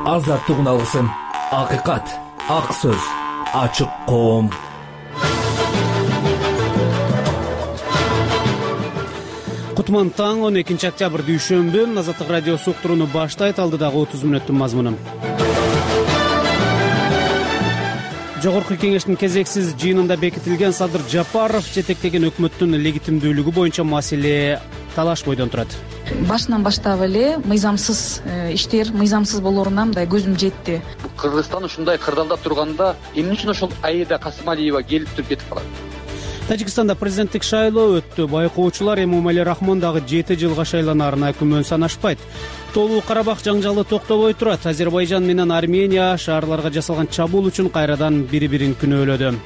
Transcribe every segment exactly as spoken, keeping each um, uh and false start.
азаттыгын алгысың. Акыйкат, ак сөз, ачык коом. Кутман таң он экинчи октябрь дүйшөмбү. Азаттык радиосу уктурууну баштайт. Алдыдагы отуз мүнөттүн мазмуну. Жогорку кеңештин кезексиз жыйынында бекитилген Садыр Жапаров жетектеген өкмөттүн легитимдүүлүгү боюнча маселе талаш бойдон турат. Башынан баштап эле мыйзамсыз иштер, мыйзамсыз болоруна мындай көзүм жетти. Кыргызстан ушундай кырдаалда турганда эмне үчүн ошол Аида Касымалиева келип туруп кетип калат? Тажикстанда президенттик шайлоо өттү. Байкоочулар Эмомали Рахмон дагы жети жылга шайланаарына күмөн санашпайт. Толуу Карабак жаңжалы токтобой турат. Азербайжан менен Армения шаарларга жасалган чабуул үчүн кайрадан бири-бирин күнөөлөдү.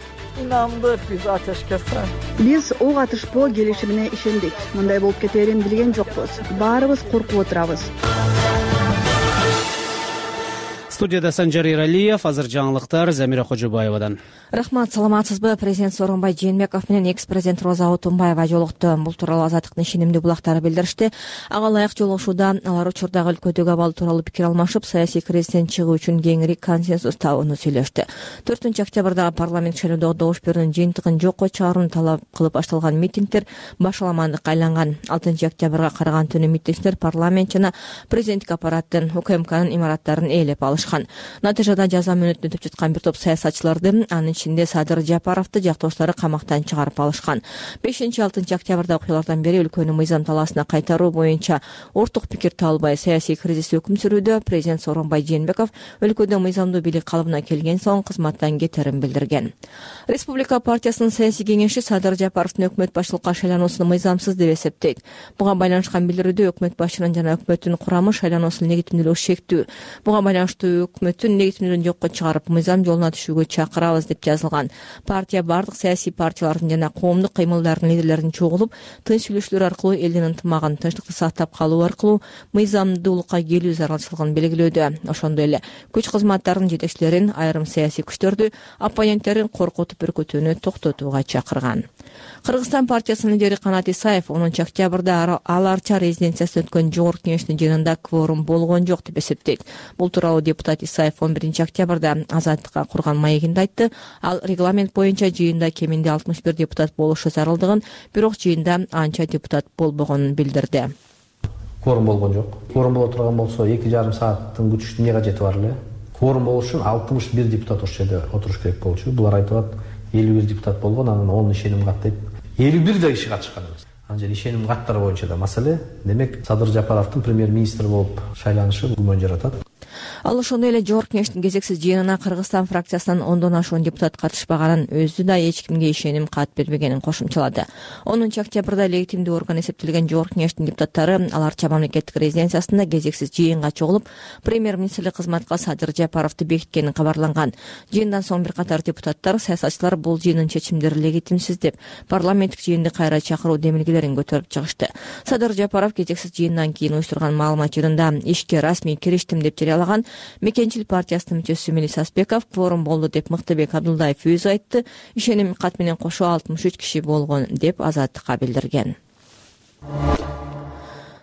İnandık biz ateşkese. Биз ок атышпоо келишимине ишендик. Мындай болуп кетерин билген жокпуз. Баарыбыз коркуп отурабыз. Студияда Санжар Иралиев, азыр жаңылыктар Замира Кожобаевадан. Рахмат, саламатсызбы? Президент Сооронбай Жээнбеков менен экс-президент Роза Отунбаева жолукту. Бул тууралуу Азаттыктын ишенимдүү булактары билдиришти. Ага ылайык жолугушууда алар учурдагы өлкөдөгү абал тууралуу пикир алмашып, саясий кризистен чыгуу үчүн кеңири консенсус табууну сүйлөштү. төртүнчү октябрда парламент шайлоодо добуш берүүнүн жыйынтыгын жокко чыгарууну талап кылып башталган митингдер башаламандыкка айланган. алтынчы октябрга караган түнү митингчилер парламент жана президенттик аппараттын УКМКнын имараттарын ээлеп алышкан. Натыйжада жаза мөөнөтүн өтүп жаткан бир топ саясатчыларды, анын ичинде Садыр Жапаровду жактоочулары камактан чыгарып алышкан. бешинчи алтынчы октябрда окуялардан бери өлкөнү мыйзам талаасына кайтаруу боюнча орток пикир табылбай саясий кризис өкүм сүрүүдө. Президент Сооронбай Жээнбеков өлкөдө мыйзамдуу бийлик калыбына келген соң кызматтан кетерин билдирген. Республика партиясынын саясий кеңеши Садыр Жапаровдун өкмөт башчылыкка шайлануусун мыйзамсыз деп эсептейт. Буга байланышкан билдирүүдө өкмөт башчынын жана өкмөттүн курамы шайлануусунун легитимдүүлүгү шектүү. Буга байланыштуу өкмөттүн легитимдүүлүгүн жокко чыгарып, мыйзам жолуна түшүүгө чакырабыз деп жазылган. Партия бардык саясий партиялардын жана коомдук кыймылдардын лидерлерин чогулуп, тынч сүйлөшүүлөр аркылуу элдин ынтымагын, тынчтыкты сактап калуу аркылуу мыйзамдуулукка келүү зарылчылыгын белгилөөдө. Ошондой эле күч кызматтарынын жетекчилерин, айрым саясий күчтөрдү, оппоненттерин коркутуп үркүтүүнү токтотууга чакырган. Кыргызстан партиясынын лидери Канат Исаев онунчу октябрда Ал Арча резиденциясында өткөн жогорку кеңештин жыйынында кворум болгон жок деп эсептейт. Бул тууралуу депутат Исаев он биринчи октябрда Азаттыкка курган маегинде айтты. Ал регламент боюнча жыйында кеминде алтымыш бир депутат болушу зарылдыгын, бирок жыйында анча депутат болбогонун билдирди. Кворум болгон жок. Кворум боло турган болсо эки жарым сааттын күтүштүн эмне кажети бар эле? Кворум болуш үчүн алтымыш бир депутат ошол жерде отуруш керек болчу. Булар айтып атат элүү бир депутат болгон, анан он ишеним кат дейт. элүү бир да киши катышкан эмес. Анан жер ишеним каттары боюнча да маселе. Демек Садыр Жапаровдун премьер-министр болуп шайланышы күмөн жаратат. Ал ошондой эле жогорку кеңештин кезексиз жыйынына Кыргызстан фракциясынан ондон ашуун депутат катышпаганын, өзү да эч кимге ишеним кат бербегенин кошумчалады. онунчу октябрда легитимдүү орган эсептелген жогорку кеңештин депутаттары Ал Арча мамлекеттик резиденциясында кезексиз жыйынга чогулуп, премьер-министрлик кызматка Садыр Жапаровду бекиткени кабарланган. Жыйындан соң бир катар депутаттар, саясатчылар бул жыйындын чечимдери легитимсиз деп, парламенттик жыйынды кайра чакыруу демилгелерин көтөрүп чыгышты. Садыр Жапаров кезексиз жыйындан кийин уюштурган маалымат жыйынында ишке расмий кириштим деп жарыялаган. Мекенчил партиясынын мүчөсү Мелис Аспеков кворум болду деп Мыктыбек Абдулдаев өзү айтты. Ишеним кат менен кошо алтымыш үч киши болгон деп Азаттыкка билдирген.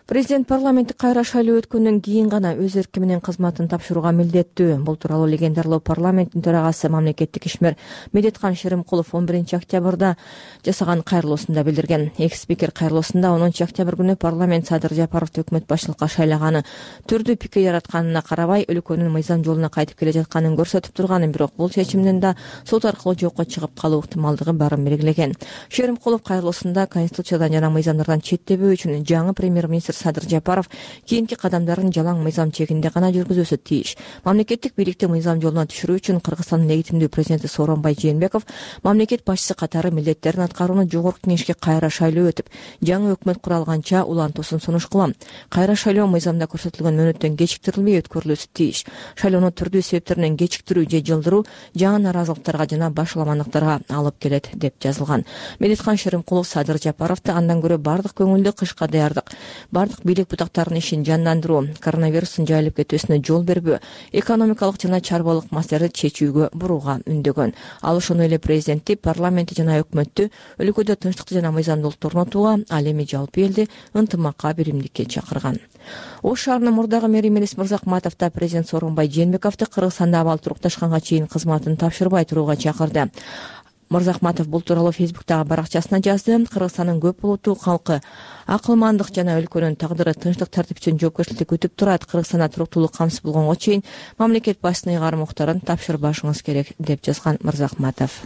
Президент парламенттик кайра шайлоо өткөндөн кийин гана өз эрки менен кызматын тапшырууга милдеттүү. Бул тууралуу легендарлуу парламенттин төрагасы мамлекеттик ишмер Медеткан Шеримкулов он биринчи октябрда жасаган кайрылуусунда билдирген. Экс-спикер кайрылуусунда онунчу октябрь күнү парламент Садыр Жапаровду өкмөт башчылыкка шайлаганы, түрдүү пикир яратканына карабай өлкөнүн мыйзам жолуна кайтып келе жатканын көрсөтүп турганын, бирок бул чечимдин да сот аркылуу жокко чыгып калуу ыктымалдыгы барын белгилеген. Шеримкулов кайрылуусунда конституциядан жана мыйзамдардан четтебөө үчүн жаңы премьер-министр Садыр Жапаров кийинки кадамдарын жалаң мыйзам чегинде гана жүргүзөсү тийиш. Мамлекеттик бийликти мыйзам жолуна түшүрүү үчүн Кыргызстандын легитимдүү президенти Сооронбай Жээнбеков мамлекет башчысы катары милдеттерин аткарууну жогорку кеңешке кайра шайлоо өтүп, жаңы өкмөт куралганча улантуусун сунуш кылам. Кайра шайлоо мыйзамда көрсөтүлгөн мөөнөттөн кечиктирилбей өткөрүлүүсү тийиш. Шайлоону түрдүү себептеринен кечиктирүү же жылдыруу жаңы наразылыктарга жана башаламандыктарга алып келет деп жазылган. Медеткан Шеримкулов Садыр Жапаровду андан көрө бардык көңүлдү кышка даярдык, бардык бийлик бутактарынын ишин жандандыруу, коронавирустун жайылып кетүүсүнө жол бербөө, экономикалык жана чарбалык маселелерди чечүүгө бурууга үндөгөн. Ал ошондой эле президентти, парламентти жана өкмөттү өлкөдө тынчтыкты жана мыйзамдуулукту орнотууга, ал эми жалпы элди ынтымакка, биримдикке чакырган. Ош шаарынын мурдагы мэри Мелис Мырзахматов да президент Сооронбай Жээнбековду Кыргызстанда абал турукташканга чейин кызматын тапшырбай турууга чакырды. Мырзахматов бул тууралуу Фейсбуктагы баракчасына жазды. Кыргызстандын көп улуттуу калкы акылмандык жана өлкөнүн тагдыры тынчтык, тартип үчүн жоопкерчиликти күтүп турат. Кыргызстанда туруктуулук камсыз болгонго чейин мамлекет башчысынын ыйгарым уктарын тапшырбашыңыз керек, деп жазган Мырзахматов.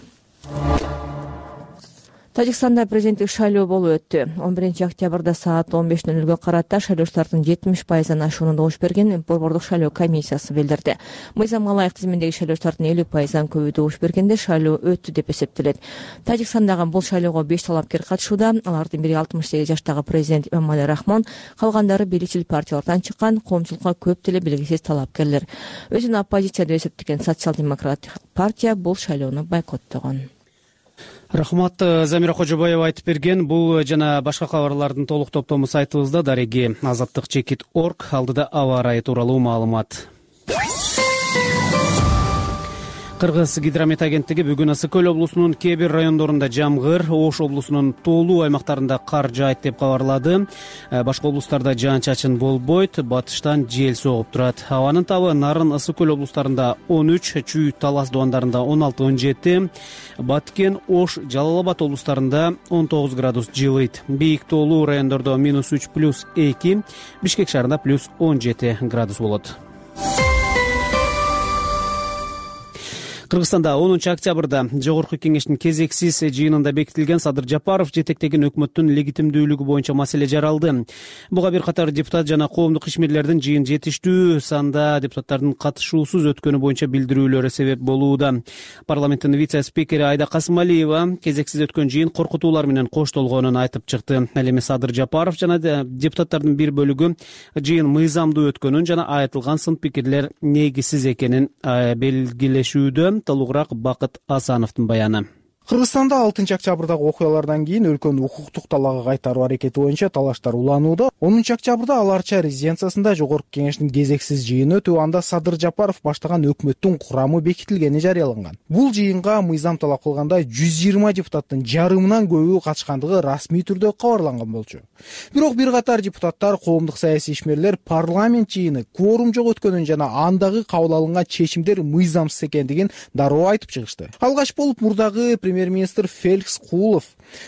Тажикстанда президенттик шайлоо болуп өттү. он биринчи октябрда саат он беш нөл нөлгө карата шайлоочулардын жетимиш пайыздан ашууну добуш берген Борбордук шайлоо комиссиясы билдирди. Мыйзамга ылайык тизиминдеги шайлоочулардын элүү пайыздан көбү добуш бергенде шайлоо өттү деп эсептелет. Тажикстандагы бул шайлоого беш талапкер катышууда. Алардын бири алтымыш сегиз жаштагы президент Эмомали Рахмон, калгандары бийликчил партиялардан чыккан коомчулукка көп деле белгисиз талапкерлер. Өзүн оппозиция деп эсептеген социал-демократтык партия бул шайлоону бойкоттогон. Рахмат, Замира Кожобаева айтып берген. Бул жана башка кабарлардын толук топтому сайтыбызда дареги азаттык чекит точка орг. Алдыда аба ырайы тууралуу маалымат. Кыргыз гидромет агенттиги бүгүн Ысык көл облусунун кээ бир райондорунда жамгыр, Ош облусунун тоолуу аймактарында кар жаайт деп кабарлады. Башка облустарда жаан-чачын болбойт, батыштан жел согуп турат. Абанын табы Нарын, Ысык көл облустарында он үч, Чүй, Талас дубандарында он алты он жети, Баткен, Ош, Жалал Абад облустарында он тогуз градус жылыйт. Бийик тоолуу райондордо минус үч плюс эки, Бишкек шаарында плюс он жети градус болот. Кыргызстанда онунчу октябрда Жогорку кеңештин кезексиз жыйынында бекитилген Садыр Жапаров жетектеген өкмөттүн легитимдүүлүгү боюнча маселе жаралды. Буга бир катар депутат жана коомдук ишмерлердин жыйын жетиштүү санда депутаттардын катышуусуз өткөнү боюнча билдирүүлөрү себеп болууда. Парламенттин вице-спикери Айда Касымалиева кезексиз өткөн жыйын коркутуулар менен коштолгонун айтып чыкты. Ал эми Садыр Жапаров жана депутаттардын бир бөлүгү жыйын мыйзамдуу өткөнүн жана айтылган сын пикирлер негизсиз экенин белгилешүүдө. Толугураак Бакыт Асановдун баяны. Кыргызстанда алтынчы октябрдагы окуялардан кийин өлкөнү укуктук талаага кайтаруу аракети боюнча талаштар уланууда. онунчу октябрда Аларча резиденциясында Жогорку кеңештин кезексиз жыйыны өтүп, анда Садыр Жапаров баштаган өкмөттүн курамы бекитилгени жарыяланган. Бул жыйынга мыйзам талап кылгандай жүз жыйырма депутаттын жарымынан көбү катышкандыгы расмий түрдө кабарланган болчу. Бирок бир катар депутаттар, коомдук саясий ишмерлер парламент жыйыны кворум жок өткөнүн жана андагы кабыл алынган чечимдер мыйзамсыз экендигин дароо айтып чыгышты. Алгач болуп мурдагы премьер-министр Феликс Куулов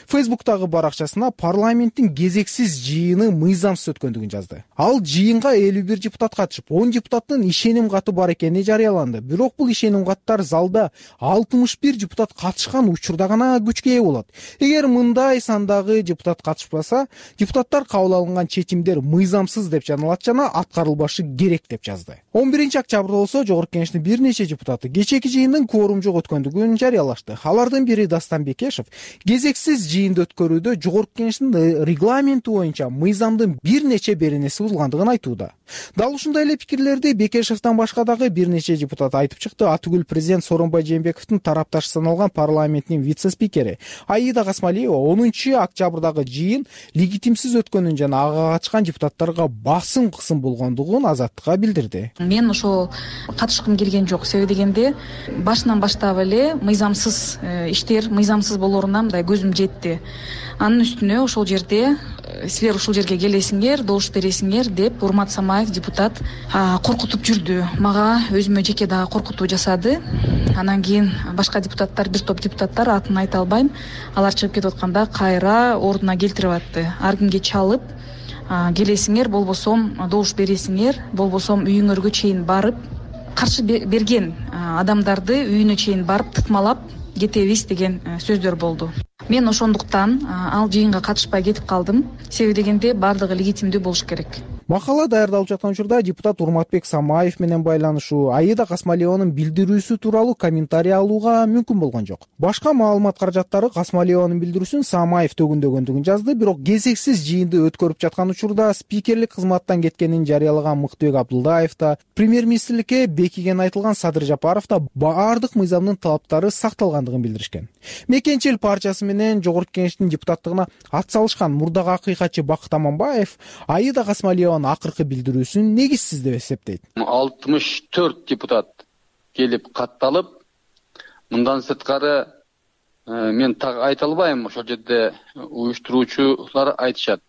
Фейсбуктагы баракчасына парламенттин кезексиз жыйыны мыйзамсыз өткөндүгүн жазды. Ал жыйынга элүү бир депутат катышып, он депутаттын ишеним каты бар экени жарыяланды. Бирок бул ишеним каттар залда алтымыш бир депутат катышкан учурда гана күчкө ээ болот. Эгер мындай сандагы депутат катышпаса, депутаттар кабыл алынган чечимдер мыйзамсыз деп жаналат жана аткарылбашы керек деп жазды. он биринчи октябрда болсо Жогорку кеңештин бир нече депутаты кечеки жыйындын кворум жок өткөндүгүн жарыялашты. Алардын бири Дастан Бекешев кезексиз жыйынды өткөрүүдө Жогорку кеңештин регламенти боюнча мыйзамдын бир нече беренеси булгандыгын айтууда. Дал ушундай эле пикирлерди Бекешевден башка дагы бир нече депутат айтып чыкты. Атүгүл президент Сооронбай Жээнбековдун тарапташы саналган парламенттин вице-спикери Аида Касымалиева онунчу октябрдагы жыйын легитимсиз өткөнүн жана ага катышкан депутаттарга басым кысым болгондугун Азаттыкка билдирди. Мен ошол катышкым келген жок. Себеби дегенде башынан баштап эле мыйзамсыз иштер, мыйзамсыз болоруна мындай көзүм жетти. Анын үстүнө ошол жерде силер ушул жерге келесиңер, добуш бересиңер деп Урмат Самаев депутат коркутуп жүрдү. Мага өзүмө жеке дагы коркутуу жасады. Анан кийин башка депутаттар, бир топ депутаттар, атын айта албайм, алар чыгып кетип атканда кайра ордуна келтирип атты. Ар кимге чалып, келесиңер, болбосом добуш бересиңер, болбосом үйүңөргө чейин барып, каршы берген адамдарды үйүнө чейин барып тытмалап кетебиз деген сөздөр болду. Мен ошондуктан ал жыйынга катышпай кетип калдым. Себеби дегенде бардыгы легитимдүү болуш керек. Макала даярдалып жаткан учурда депутат Урматбек Самаев менен байланышуу, Аида Касмалиеванын билдирүүсү тууралуу комментарий алууга мүмкүн болгон жок. Башка маалымат каражаттары Касмалиеванын билдирүүсүн Самаев төгүндөгөндүгүн жазды, бирок кезексиз жыйынды өткөрүп жаткан учурда спикерлик кызматтан кеткенин жарыялаган Мыктыбек Абдылдаев да, премьер-министрликке бекиген айтылган Садыр Жапаров да баардык мыйзамдын талаптары сакталгандыгын билдиришкен. Мекенчил партиясы менен Жогорку Кеңештин депутаттыгына ат салышкан мурдагы акыйкатчы Бакыт Аманбаев Аида Касмалиеванын акыркы билдирүүсүн негизсиз деп эсептейт. алтымыш төрт депутат келип катталып, мындан сырткары мен так айта албайм, ошол жерде уюштуруучулар айтышат.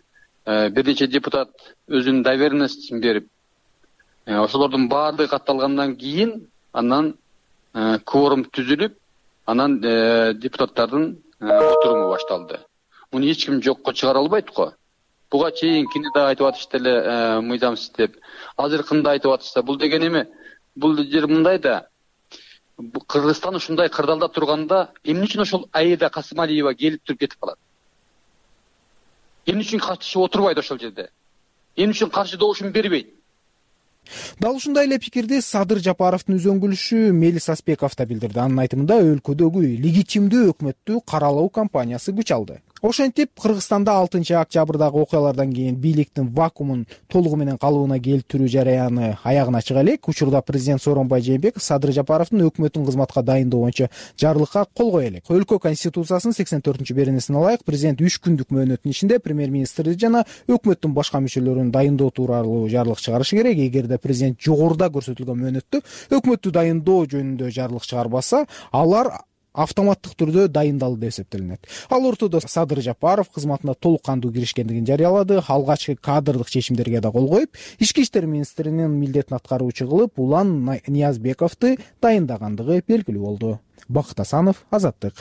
Бир нече депутат өзүнүн доверенностун берип, ошолордун баардыгы катталгандан кийин анан кворум түзүлүп, анан депутаттардын отуруму башталды. Муну эч ким жокко чыгара албайт го. Буга чейинкини да айтып атышты эле мыйзамсыз деп. Азыркыны да айтып атышса, бул деген эме, бул жер мындай да. Кыргызстан ушундай кырдаалда турганда, эмне үчүн ошол Аида Касмалиева келип туруп кетип калат? Эмне үчүн каршы отурбайт ошол жерде? Эмне үчүн каршы добушун бербейт? Дал ушундай эле пикирди Садыр Жапаровдун үзөңгүлүшү Мелис Аспеков да билдирди. Анын айтымында өлкөдөгү легитимдүү өкмөттү каралоо кампаниясы күч алды. Ошентип, Кыргызстанда алтынчы октябрдагы окуялардан кийин бийликтин вакуумун толугу менен калыбына келтирүү жараяны аягына чыга элек. Учурда президент Сооронбай Жээнбеков Садыр Жапаровдун өкмөттүн кызматка дайындоо боюнча жарлыкка кол кое элек. Өлкө конституциясынын сексен төртүнчү беренесине ылайык, президент үч күндүк мөөнөттүн ичинде премьер-министрди жана өкмөттүн башка мүчөлөрүн дайындоо тууралуу жарлык чыгарышы керек. Эгерде президент жогоруда көрсөтүлгөн мөөнөттө өкмөттү дайындоо жөнүндө жарлык чыгарбаса, алар автоматтык түрдө дайындалды деп эсептелинет. Ал ортодо Садыр Жапаров кызматына толук кандуу киришкендигин жарыялады. Алгачкы кадрдык чечимдерге да кол коюп, ички иштер министринин милдетин аткаруучу кылып Улан Ниязбековду дайындагандыгы белгилүү болду. Бакыт Асанов, Азаттык.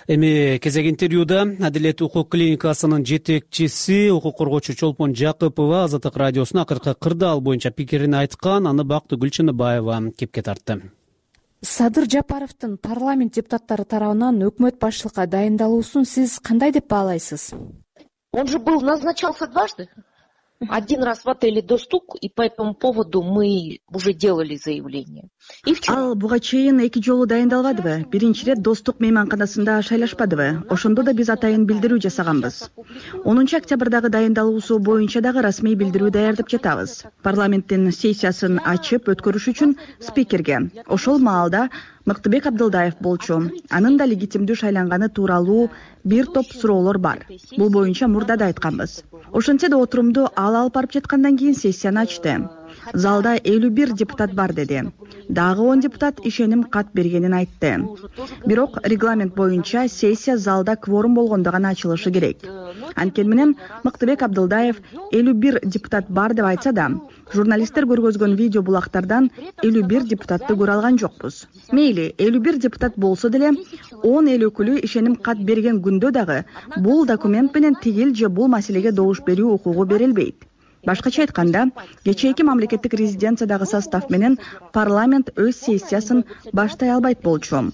Эми кезек интервьюда Адилет укук клиникасынын жетекчиси, укук коргоочу Чолпон Жакыпова Азаттык радиосуна акыркы кырдаал боюнча пикирин айткан. Аны Бактыгүл Чыныбаева кепке тартты. Садыр Жапаровдун парламент депутаттары тарабынан өкмөт башчылыкка дайындалуусун сиз кандай деп баалайсыз? Он же был назначался дважды. Один раз в отеле «Достук», и по этому поводу мы уже делали заявление. И вчера. Ал буга чейин эки жолу дайындалбадыбы? Биринчи рет «Достук» мейманканасында шайлашпадыбы? Ошондо да биз атайын билдирүү жасаганбыз. онунчу октябрдагы дайындалуусу боюнча дагы расмий билдирүү даярдап жатабыз. Парламенттин сессиясын ачып өткөрүш үчүн спикерге ошол маалда Мыктыбек Абдылдаев болчу. Анын да легитимдүү шайланганы тууралуу бир топ суроолор бар. Бул боюнча мурда да айтканбыз. Ошентсе да отурумду ал алып барып жаткандан кийин сессияны ачты. Залда элүү бир депутат бар деди. Дагы он депутат ишеним кат бергенин айтты. Бирок регламент боюнча сессия залда кворум болгондо гана ачылышы керек. Анткени менен Мыктыбек Абдылдаев элүү бир депутат бар деп айтса да, журналисттер көргөзгөн видео булактардан элүү бир депутатты көрө алган жокпуз. Мейли, элүү бир депутат болсо деле, он эл өкүлү ишеним кат берген күндө дагы бул документ менен тигил же бул маселеге добуш берүү укугу берилбейт. Башкача айтканда, кечээки мамлекеттик резиденциядагы состав менен парламент өз сессиясын баштай албайт болчу.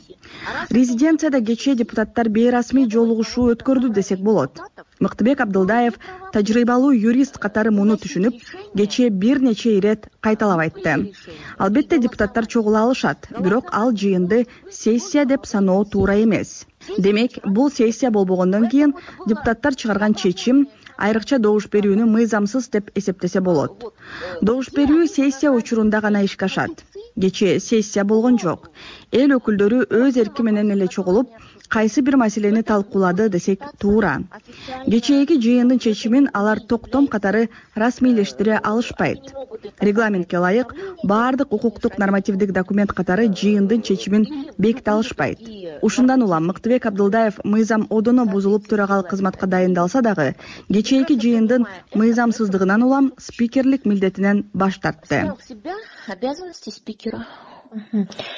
Резиденцияда кечээ депутаттар бейрасмий жолугушуу өткөрдү десек болот. Мыктыбек Абдылдаев тажрыйбалуу юрист катары муну түшүнүп, кечээ бир нече ирет кайталап айтты. Албетте депутаттар чогула алышат, бирок ал жыйынды сессия деп саноо туура эмес. Демек, бул сессия болбогондон кийин депутаттар чыгарган чечим айрыкча добуш берүүнү мыйзамсыз деп эсептесе болот. Добуш берүү сессия учурунда гана ишке ашат. Кечээ сессия болгон жок. Эл өкүлдөрү өз эрки менен эле чогулуп, кайсы бир маселени талкуулады десек туура. Кечээки жыйындын чечимин алар токтом катары расмийлештире алышпайт. Регламентке ылайык баардык укуктук нормативдик документ катары жыйындын чечимин беките алышпайт. Ушундан улам Мыктыбек Абдылдаев мыйзам одоно бузулуп төрагал кызматка дайындалса дагы, кечээки жыйындын мыйзамсыздыгынан улам спикерлик милдетинен баш тартты. Обязанности спикера.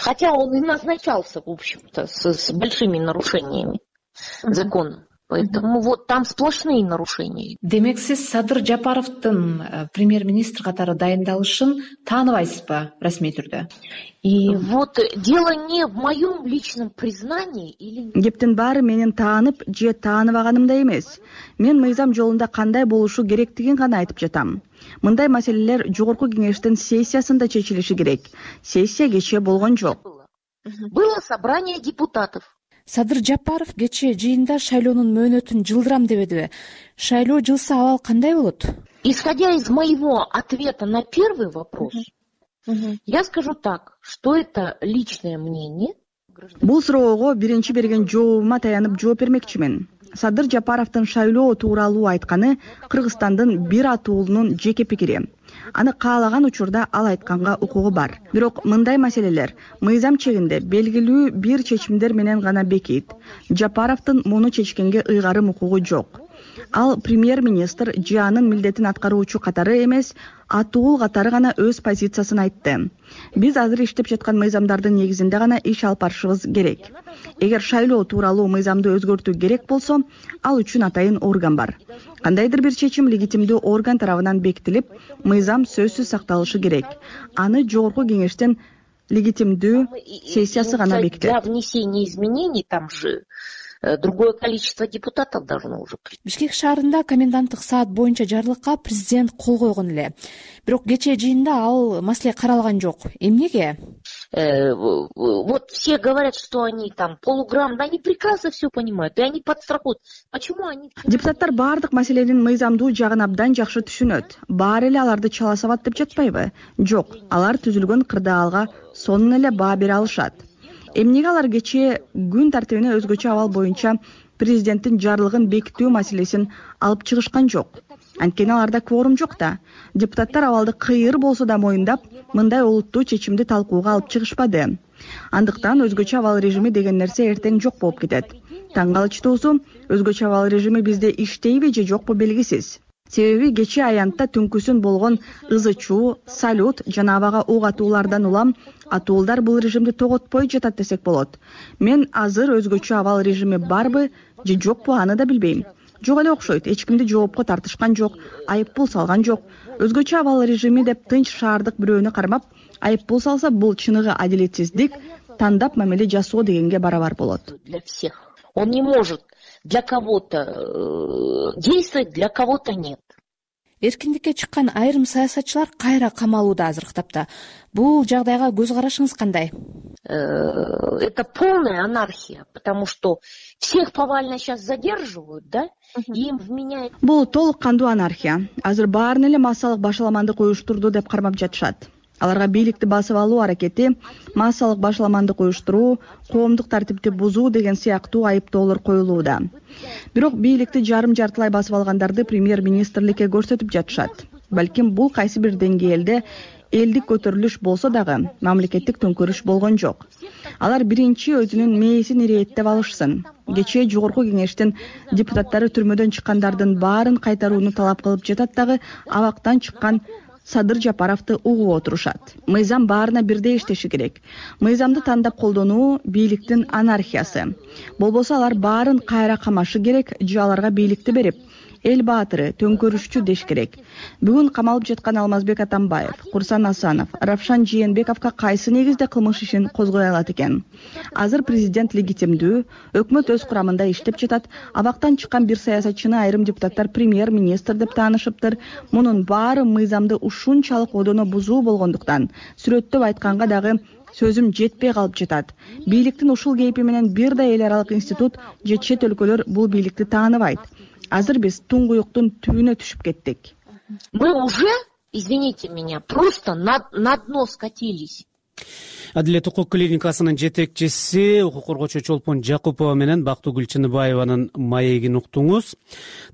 Хотя он и назначался, в общем-то, с, с большими нарушениями закона. Поэтому вот там сплошные нарушения. Демек сиз Садыр Жапаровдун премьер-министр катары дайындалышын тааныбайсызбы расмий түрдө? И вот дело не в моем личном признании или... Кептин баары менин таанып же тааныбаганымда эмес. Мен мыйзам жолунда кандай болушу керектигин гана айтып жатам. Мындай маселелер жогорку кеңештин сессиясында чечилиши керек. Сессия кечээ болгон жок. Было собрание депутатов. Садыр Жапаров кечээ жыйында шайлоонун мөөнөтүн жылдырам дебедиби? Шайлоо жылса абал кандай болот? Исходя из моего ответа на первый вопрос, uh-huh. я скажу так, что это личное мнение. Бул суроого биринчи берген жообума таянып жооп бермекчимин. Садыр Жапаровдун шайлоо тууралуу айтканы Кыргызстандын бир атуулунун жеке пикири. Аны каалаган учурда ал айтканга укугу бар. Бирок мындай маселелер мыйзам чегинде белгилүү бир чечимдер менен гана бекийт. Жапаровдун муну чечкенге ыйгарым укугу жок. Ал премьер-министр же анын милдетин аткаруучу катары эмес, атуул катары гана өз позициясын айтты. Биз азыр иштеп жаткан мыйзамдардын негизинде гана иш алып барышыбыз керек. Эгер шайлоо тууралуу мыйзамды өзгөртүү керек болсо, ал үчүн атайын орган бар. Кандайдыр бир чечим легитимдүү орган тарабынан бекитилип, мыйзам сөзсүз сакталышы керек. Аны жогорку кеңештин легитимдүү сессиясы гана бекитет. Для внесения изменений там же другое количество депутатов должно уже. Бишкек шаарында коменданттык саат боюнча жарлыкка президент кол койгон эле. Бирок кечээ жыйында ал маселе каралган жок. Эмнеге? Вот все говорят, что они там полуграмотные, они прекрасно все понимают, и они подстрахуют. Почему они... Депутаттар баардык маселенин мыйзамдуу жагын абдан жакшы түшүнөт. Баары эле аларды чала сабат деп жатпайбы? Жок, алар түзүлгөн кырдаалга сонун эле баа бере алышат. Эмнеге алар кечээ күн тартибине өзгөчө абал боюнча президенттин жарлыгын бекитүү маселесин алып чыгышкан жок? Анткени аларда кворум жок да. Депутаттар абалды кыйыр болсо да моюндап, мындай олуттуу чечимди талкууга алып чыгышпады. Андыктан өзгөчө абал режими деген нерсе эртең жок болуп кетет. Таң калычтуусу, өзгөчө абал режими бизде иштейби же жокпу белгисиз. Себеби кечээ аянтта түнкүсүн болгон ызы-чуу, салют жана абага ок атуулардан улам атуулдар бул режимди тоготпой жатат десек болот. Мен азыр өзгөчө абал режими барбы же жокпу аны да билбейм. Жок эле окшойт, эч кимди жоопко тартышкан жок, айыппул салган жок. Өзгөчө абал режими деп тынч шаардык бирөөнү кармап, айыппул салса бул чыныгы адилетсиздик, тандап мамиле жасоо дегенге барабар болот. Для всех. Он не может для кого-то действовать, для кого-то нет. Эркиндикке чыккан айрым саясатчылар кайра камалууда азыркы тапта. Бул жагдайга көз карашыңыз кандай? Это полная анархия, потому что всех повально сейчас задерживают, да? Им вменяют. Бул толук кандуу анархия. Азыр баарын эле массалык башаламандык уюштурду деп кармап жатышат. Аларга бийликти басып алуу аракети, массалык башаламандык уюштуруу, коомдук тартипти бузуу деген сыяктуу айыптоолор коюлууда. Бирок бийликти жарым жартылай басып алгандарды премьер-министрликке көрсөтүп жатышат. Балким бул кайсы бир деңгээлде элдик көтөрүлүш болсо дагы мамлекеттик төңкөрүш болгон жок. Алар биринчи өзүнүн мээсин ирээттеп алышсын. Кечээ жогорку кеңештин депутаттары түрмөдөн чыккандардын баарын кайтарууну талап кылып жатат дагы абактан чыккан Садыр Жапаровду угуп отурушат. Мыйзам баарына бирдей иштеши керек. Мыйзамды тандап колдонуу бийликтин анархиясы. Болбосо алар баарын кайра камашы керек, же аларга бийликти берип, эл баатыры, төңкөрүшчү деш керек. Бүгүн камалып жаткан Алмазбек Атамбаев, Курсан Асанов, Равшан Жээнбековго кайсы негизде кылмыш ишин козгой алат экен? Азыр президент легитимдүү, өкмөт өз курамында иштеп жатат, абактан чыккан бир саясатчыны айрым депутаттар премьер-министр деп таанышыптыр. Мунун баары мыйзамды ушунчалык одоно бузуу болгондуктан, сүрөттөп айтканга дагы сөзүм жетпей калып жатат. Бийликтин ушул кейпи менен бир да эл аралык институт же чет өлкөлөр бул бийликти тааныбайт. Азыр биз туңгуюктун түбүнө түшүп кеттик. Мы уже, извините меня, просто на, на дно скатились. Адилет укук клиникасынын жетекчиси укук коргоочу Чолпон Жакупова менен Бактыгүл Чыныбаеванын маегин уктуңуз.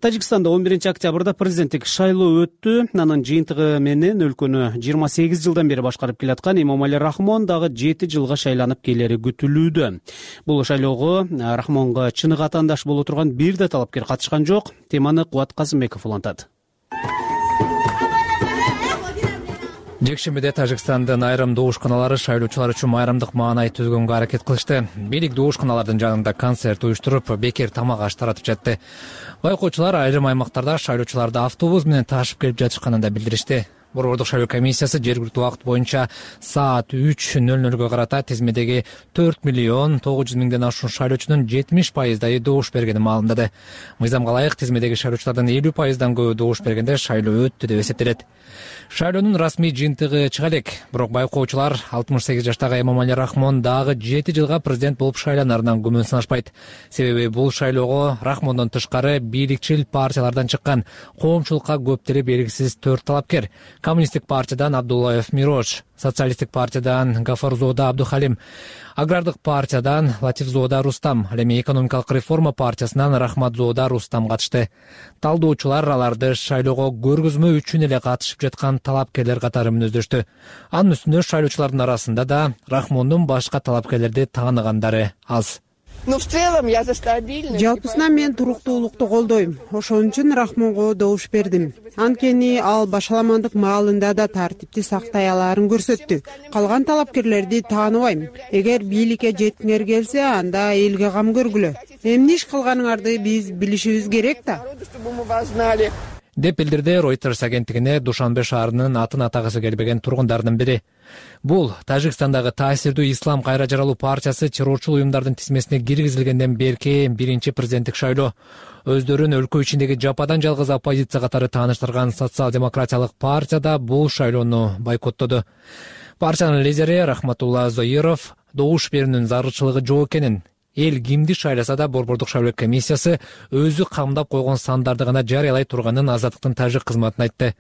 Тажикстанда он биринчи октябрда президенттик шайлоо өттү. Анын жыйынтыгы менен өлкөнү жыйырма сегиз жылдан бери башкарып келаткан Эмомали Рахмон дагы жети жылга шайланып келери күтүлүүдө. Бул шайлоого Рахмонго чыныгы атаандаш боло турган бир да талапкер катышкан жок. Теманы Кубат Казымбеков улантат. Жекшембиде Тажикстандын айрым добушканалары шайлоочулар үчүн майрамдык маанай түзгөнгө аракет кылышты. Бийлик добушканалардын жанында концерт уюштуруп, бекер тамак аш таратып жатты. Байкоочулар айрым аймактарда шайлоочуларды автобус менен ташып келип жатышканын да билдиришти. Борбордук шайлоо комиссиясы жергиликтүү убакыт боюнча саат үч нөл нөлгө карата тизмедеги төрт миллион тогуз жүз миңден ашуун шайлоочунун жетимиш пайыздайы добуш бергенин маалымдады. Мыйзамга ылайык тизмедеги шайлоочулардын элүү пайыздан көбү добуш бергенде шайлоо өттү деп эсептелет. Шайлоонун расмий жыйынтыгы чыга элек, бирок байкоочулар алтымыш сегиз жаштагы Эмомали Рахмон дагы жети жылга президент болуп шайланарынан күмөн санашпайт. Себеби бул шайлоого Рахмондон тышкары бийликчил партиялардан чыккан коомчулукка көптери белгисиз төрт талапкер: Коммунисттик партиядан Абдуллаев Мирош, Социалисттик партиядан Гафарзода Абдухалим, Агрардык партиядан Латифзода Рустам, ал эми Экономикалык реформа партиясынан Рахматзода Рустам катышты. Талдоочулар аларды шайлоого көргөзмө үчүн эле катышып жаткан талапкерлер катары мүнөздөштү. Анын үстүнө шайлоочулардын арасында да Рахмондун башка талапкерлерди тааныгандары аз. Жалпысынан мен туруктуулукту колдойм. Ошон үчүн Рахмонго добуш бердим. Анткени ал башаламандык маалында да тартипти сактай алаарын көрсөттү. Калган талапкерлерди тааныбайм. Эгер бийликке жеткиңер келсе, анда элге кам көргүлө. Эмне иш кылганыңарды биз билишибиз керек да. деп билдирди Reuters агенттигине Душанбе шаарынын атын атагысы келбеген тургундардын бири. Бул Тажикстандагы таасирдүү Ислам кайра жаралуу партиясы террорчул уюмдардын тизмесине киргизилгенден берки биринчи президенттик шайлоо. Өздөрүн өлкө ичиндеги жападан жалгыз оппозиция катары тааныштырган социал-демократиялык партия да бул шайлоону бойкоттоду. Партиянын лидери Рахматулла Зоиров добуш берүүнүн зарылчылыгы жок экенин, эл кимди шайласа да Борбордук шайлоо комиссиясы өзү камдап койгон сандарды гана жарыялай турганын Азаттыктын тажик кызматына айтты.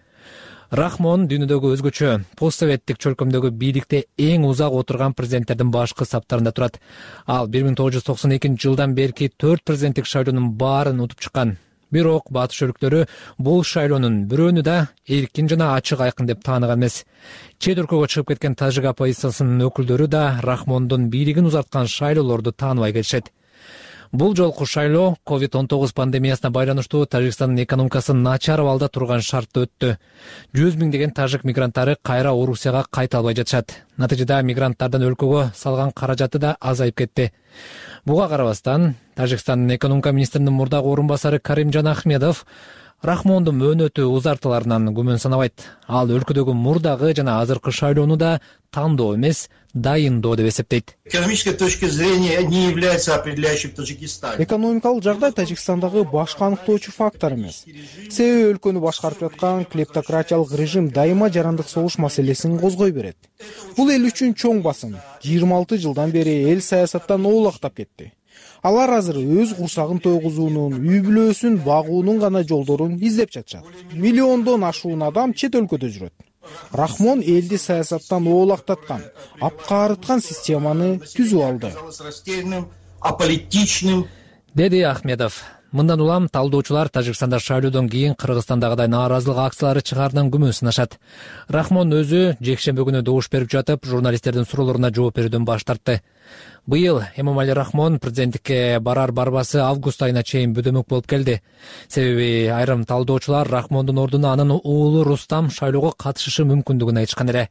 Рахмон дүйнөдөгү өзгөчө постсоветтик чөлкөмдөгү бийликте эң узак отурган президенттердин башкы саптарында турат. Ал бир миң тогуз жүз токсон экинчи жылдан берки төрт президенттик шайлоонун баарын утуп чыккан. Бирок батыш өлкөлөрү бул шайлоонун бирөөнү да эркин жана ачык айкын деп тааныган эмес. Чет өлкөгө чыгып кеткен тажик оппозициясынын өкүлдөрү да Рахмондун бийлигин узарткан шайлоолорду тааныбай келишет. Бул жолку шайлоо ковид он тогуз пандемиясына байланыштуу Тажикстандын экономикасы начар абалда турган шартта өттү. жүз миңдеген тажик мигранттары кайра Орусияга кайта албай жатышат. Натыйжада мигранттардын өлкөгө салган каражаты да азайып кетти. Буга карабастан Тажикстандын экономика министринин мурдагы орун басары Каримжан Ахмедов Рахмондун мөөнөтү узартыларынан күмөн санабайт. Ал өлкөдөгү мурдагы жана азыркы шайлоону да тандоо эмес, дайындоо деп эсептейт. Экономической точки зрения не является определяющим в Таджикистане. Экономикалык жагдай Тажикстандагы башкы аныктоочу фактор эмес. Себеби өлкөнү башкарып жаткан клептократиялык режим дайыма жарандык согуш маселесин козгой берет. Бул эл үчүн чоң басым. жыйырма алты жылдан бери эл саясаттан оолактап кетти. Алар азыр өз курсагын тойгузуунун, үй бүлөсүн багуунун гана жолдорун издеп жатышат. Миллиондон ашуун адам чет өлкөдө жүрөт. Рахмон элди саясаттан оолактаткан, апкаарыткан системаны түзүп алды, деди Ахмедов. Мындан улам талдоочулар Тажикстанда шайлоодон кийин Кыргызстандагыдай нааразылык акциялары чыгаарынан күмөн сынашат. Рахмон өзү жекшемби күнү добуш берип жатып, журналисттердин суроолоруна жооп берүүдөн баш тартты. Быйыл Эмомали Рахмон президенттикке барар барбасы август айына чейин бөдөмөк болуп келди. Себеби айрым талдоочулар Рахмондун ордуна анын уулу Рустам шайлоого катышышы мүмкүндүгүн айтышкан эле.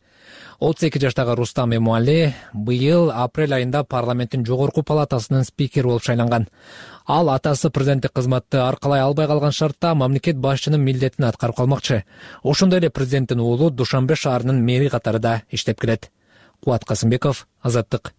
отуз эки жаштагы Рустам Эмомали быйыл апрель айында парламенттин жогорку палатасынын спикери болуп шайланган. Ал атасы президенттик кызматты аркалай албай калган шартта мамлекет башчынын милдетин аткарып калмакчы. Ошондой эле президенттин уулу Душанбе шаарынын мэри катары да иштеп келет. Кубат Касымбеков, Азаттык.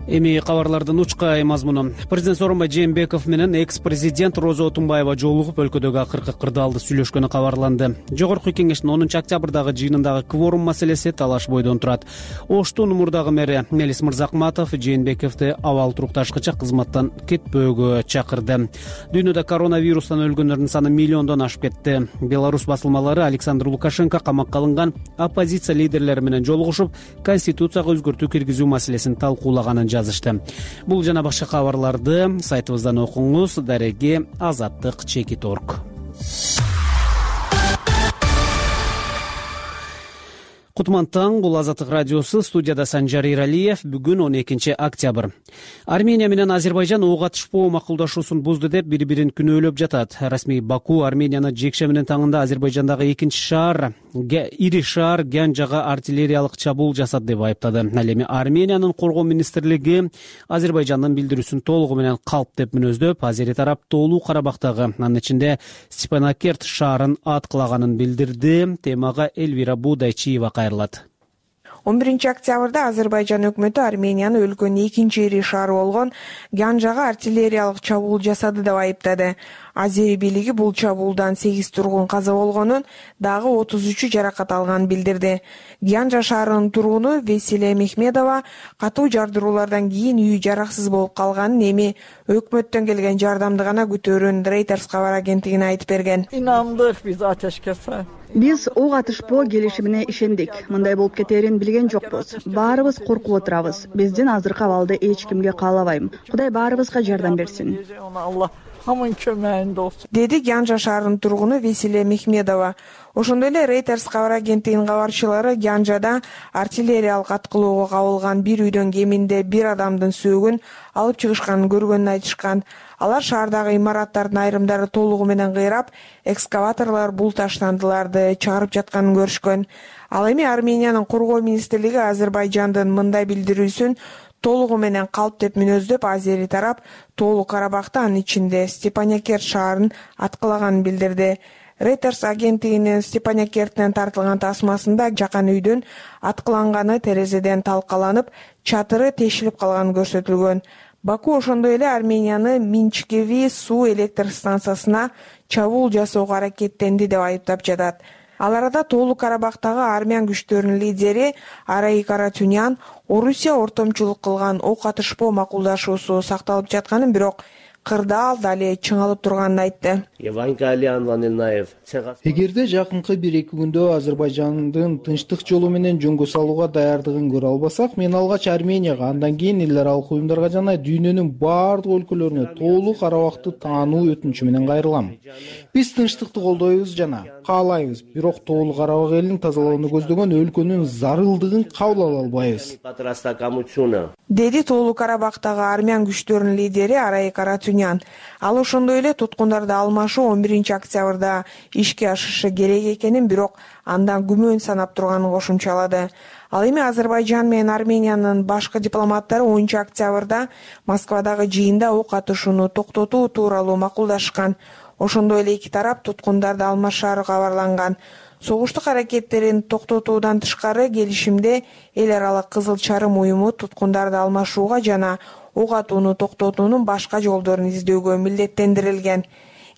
Эми кабарлардын учкай мазмуну. Президент Сооронбай Жээнбеков менен экс-президент Роза Отунбаева жолугуп өлкөдөгү акыркы кырдаалды сүйлөшкөнү кабарланды. Жогорку кеңештин онунчу октябрдагы жыйынындагы кворум маселеси талаш бойдон турат. Оштун мурдагы мэри Мелис Мырзакматов Жээнбековду абал турукташкыча кызматтан кетпөөгө чакырды. Дүйнөдө коронавирустан өлгөндөрдүн саны миллиондон ашып кетти. Беларусь басылмалары Александр Лукашенко камакка алынган оппозиция лидерлери менен жолугушуп, конституцияга өзгөртүү киргизүү маселесин талкуулаганын жазышты. Бул жана башка кабарларды сайтыбыздан окуңуз. Дареги Азаттык чекит орг. Кутман таң, бул Азаттык радиосу, студияда Санжар Иралиев. Бүгүн он экинчи октябрь. Армения менен Азербайжан ок атышпоо макулдашуусун бузду деп бири-бирин күнөөлөп жатат. Расмий Баку Арменияны жекшеминин таңында Азербайжандагы экинчи шаар, ири шаар Гянжага артиллериялык чабуул жасады деп айыптады. Ал эми Армениянын коргоо министрлиги Азербайжандын билдирүүсүн толугу менен калп деп мүнөздөп, азери тарап Тоолуу Карабактагы, анын ичинде Степанакерт шаарын аткылаганын билдирди. Темага Эльвира Будайчиева кайрылат. он биринчи октябрда Азербайжан өкмөтү Арменияны өлкөнүн экинчи ири шаары болгон Гянжага артиллериялык чабуул жасады деп айыптады. Азери бийлиги бул чабуулдан сегиз тургун каза болгонун, дагы отуз үчү жаракат алганын билдирди. Гянжа шаарынын тургуну Весилия Мехмедова катуу жардыруулардан кийин үйү жараксыз болуп калганын, эми өкмөттөн келген жардамды гана күтөөрүн Reuters кабар агенттигине айтып берген. İnandık biz ateşkese. Биз ок атышпоо келишимине ишендик. Мындай болуп кетээрин билген жокпуз. Баарыбыз коркуп отурабыз. Биздин азыркы абалды эч кимге каалабайм. Кудай баарыбызга жардам берсин. Деди Гянжа шаарынын тургуну Весилия Мехмедова. Ошондой эле Reuters кабар агенттигинин кабарчылары Гянжада артиллериялык аткылоого кабылган бир үйдөн кеминде бир адамдын сөөгүн алып чыгышканын көргөнүн айтышкан. Алар шаардагы имараттардын айрымдары толугу менен кыйрап, экскаваторлор бул таштандыларды чыгарып жатканын көрүшкөн. Ал эми Армениянын коргоо министрлиги Азербайжандын мындай билдирүүсүн толугу менен калп деп мүнөздөп, азери тарап Тоолуу Карабакта, анын ичинде Степанакерт шаарын аткылаганын билдирди. Reuters агенттигинин Степанакерттен тартылган тасмасында жакан үйдүн аткыланганы терезеден талкаланып, чатыры тешилип калганы көрсөтүлгөн. Баку ошондой эле Арменияны Минчкеви суу электр станциясына чабуул жасоого аракеттенди деп айыптап жатат. Ал арада Тоолуу Карабактагы армян күчтөрүнүн лидери Арай Каратюнян Орусия ортомчулук кылган ок атышпоо макулдашуусу сакталып жатканын, бирок кырдаал дале чыңалып турганын айтты. Эгерде жакынкы бир эки күндө Азербайжандын тынчтык жолу менен жөнгө салууга даярдыгын көрө албасак, мен алгач Арменияга, андан кийин эл аралык уюмдарга жана дүйнөнүн баардык өлкөлөрүнө Тоолуу Карабакты таануу өтүнүчү менен кайрылам. Биз тынчтыкты колдойбуз жана каалайбыз, бирок Тоолуу Карабак элин тазалоону көздөгөн өлкөнүн зарылдыгын кабыл ала албайбыз. Деди Тоолуу Карабактагы армян күчтөрүнүн лидери Арай Каратюнян. Ал ошондой эле туткундарды алмашуу он биринчи октябрда ишке ашышы керек экенин, бирок андан күмөн санап турганын кошумчалады. Ал эми Азербайжан менен Армениянын башкы дипломаттары онунчу октябрда Москвадагы жыйында ок атышууну токтотуу тууралуу макулдашкан. Ошондой эле эки тарап туткундарды алмашаары кабарланган. Согуштук аракеттерин токтотуудан тышкары келишимде эл аралык Кызыл Чарым уюму туткундарды алмашууга жана ок атууну токтотуунун башка жолдорун издөөгө милдеттендирилген.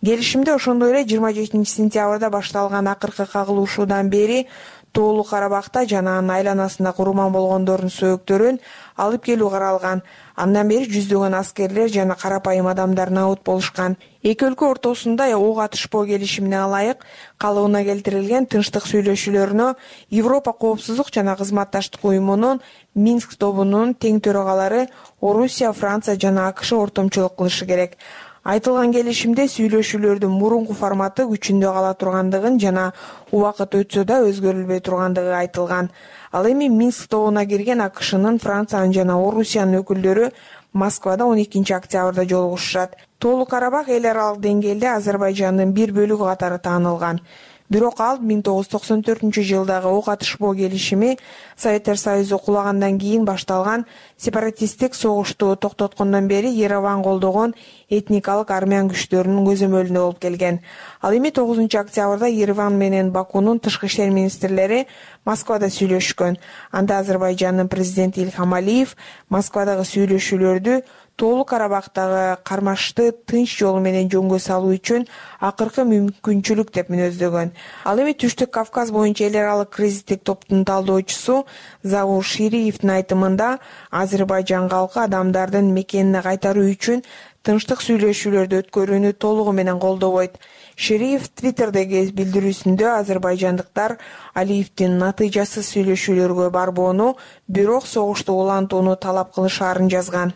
Келишимде ошондой эле жыйырма жетинчи сентябрда башталган акыркы кагылышуудан бери Тоолуу Карабакта жана анын айланасында курман болгондордун сөөктөрүн алып келүү каралган. Андан бери жүздөгөн аскерлер жана карапайым адамдар набыт болушкан. Эки өлкө ортосунда ок атышпоо келишимине ылайык калыбына келтирилген тынчтык сүйлөшүүлөрүнө Европа коопсуздук жана кызматташтык уюмунун Минск тобунун тең төрагалары Орусия, Франция жана АКШ ортомчулук кылышы керек. Айтылган келишимде сүйлөшүүлөрдүн мурунку форматы күчүндө кала тургандыгын жана убакыт өтсө да өзгөрүлбөй тургандыгы айтылган. Ал эми Минск тобуна кирген АКШнын, Франциянын жана Орусиянын өкүлдөрү Москвада он экинчи октябрда жолугушушат. Тоолуу Карабак эл аралык деңгээлде Азербайжандын бир бөлүгү катары таанылган. Бирок ал миң тогуз жүз токсон төртүнчү жылдагы ок атышпоо келишими Советтер Союзу кулагандан кийин башталган сепаратисттик согушту токтоткондон бери Ереван колдогон этникалык армян күчтөрүнүн көзөмөлүндө болуп келген. Ал эми тогузунчу октябрда Ереван менен Бакунун тышкы иштер министрлери Москвада сүйлөшкөн. Анда Азербайжандын президенти Ильхам Алиев Москвадагы сүйлөшүүлөрдү Тоолуу Карабактагы кармашты тынч жолу менен жөнгө салуу үчүн акыркы мүмкүнчүлүк деп мүнөздөгөн. Ал эми Түштүк Кавказ боюнча эл аралык кризистик топтун талдоочусу Заур Шириевдин айтымында Азербайжан калкы адамдардын мекенине кайтаруу үчүн тынчтык сүйлөшүүлөрдү өткөрүүнү толугу менен колдобойт. Шериев Твиттердеги билдирүүсүндө азербайжандыктар Алиевдин натыйжасыз сүйлөшүүлөргө барбоону, бирок согушту улантууну талап кылышаарын жазган.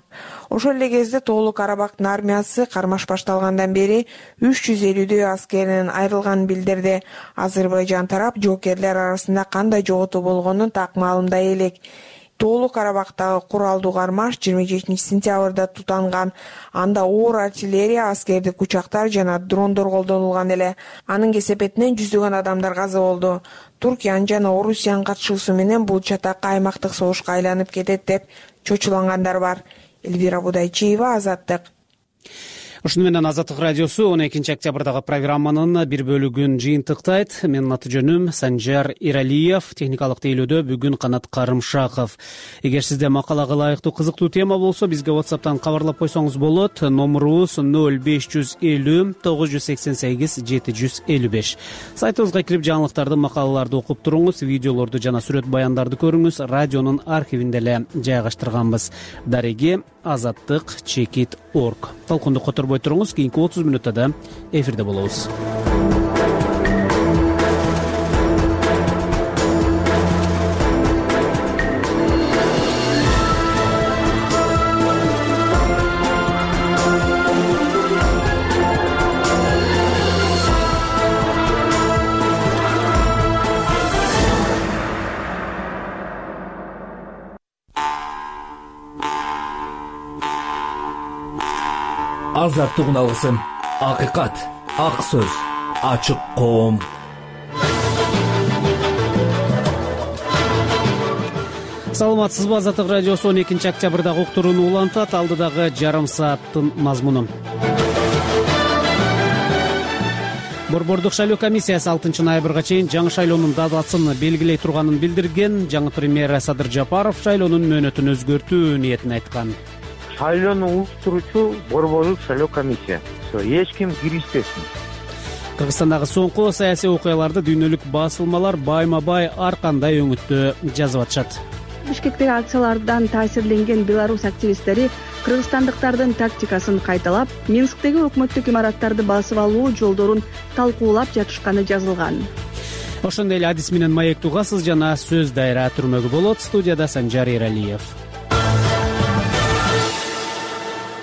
Ошол эле кезде Тоолуу Карабактын армиясы кармаш башталгандан бери үч жүз элүүдөй аскеринен айрылганын билдирди. Азербайжан тарап жоокерлер арасында кандай жоготуу болгонун так маалымдай элек. Тоолуу Карабактагы куралдуу кармаш жыйырма жетинчи сентябрда тутанган. Анда оор артиллерия, аскердик учактар жана дрондор колдонулган эле. Анын кесепетинен жүздөгөн адамдар каза болду. Туркиянын жана Орусиянын катышуусу менен бул чатакка аймактык согушка айланып кетет деп чочулангандар бар. Эльвира Будайчиева, Азаттык. Ушуну менен Азаттык радиосу он экинчи октябрдагы программанын бир бөлүгүн жыйынтыктайт. Менин аты жөнүм Санжар Иралиев, техникалык тейлөөдө бүгүн Канат Карымшаков. Эгер сизде макалага ылайыктуу кызыктуу тема болсо, бизге WhatsApp'тан кабарлап койсоңуз болот. Номурубуз ноль беш жүз элүү тогуз жүз сексен сегиз жети жүз элүү беш. Сайтыбызга кирип жаңылыктарды, макалаларды окуп туруңуз, видеолорду жана сүрөт баяндарды көрүңүз. Радионун архивинде эле жайгаштырганбыз. Дареги азаттык чекит точка орг. Талкунду которбой туруңуз, кийинки отуз мүнөттө да эфирде болобуз. Азаттык алгысым, акыйкат, ак сөз, ачык коом. Саламатсызбы? Азаттык радиосу он экинчи октябрдагы уктурууну улантат. Алдыдагы жарым сааттын мазмуну. Борбордук шайлоо комиссиясы алтынчы ноябрга чейин жаңы шайлоонун датасын белгилей турганын билдирген. Жаңы премьер Садыр Жапаров шайлоонун мөөнөтүн өзгөртүү ниетин айткан. Шайлоону уюштуруучу борбордук шайлоо комиссиясы, эч ким киришпесин. Кыргызстандагы соңку саясий окуяларды дүйнөлүк басылмалар байма-бай ар кандай өңүттө жазып атышат. Бишкектеги акциялардан таасирленген белорус активисттери кыргызстандыктардын тактикасын кайталап, Минсктеги өкмөттүк имараттарды басып алуу жолдорун талкуулап жатышканы жазылган. Ошондой эле адис менен маек тугасыз жана сөз дайра түрмөгү болот. Студияда Санжар Иралиев.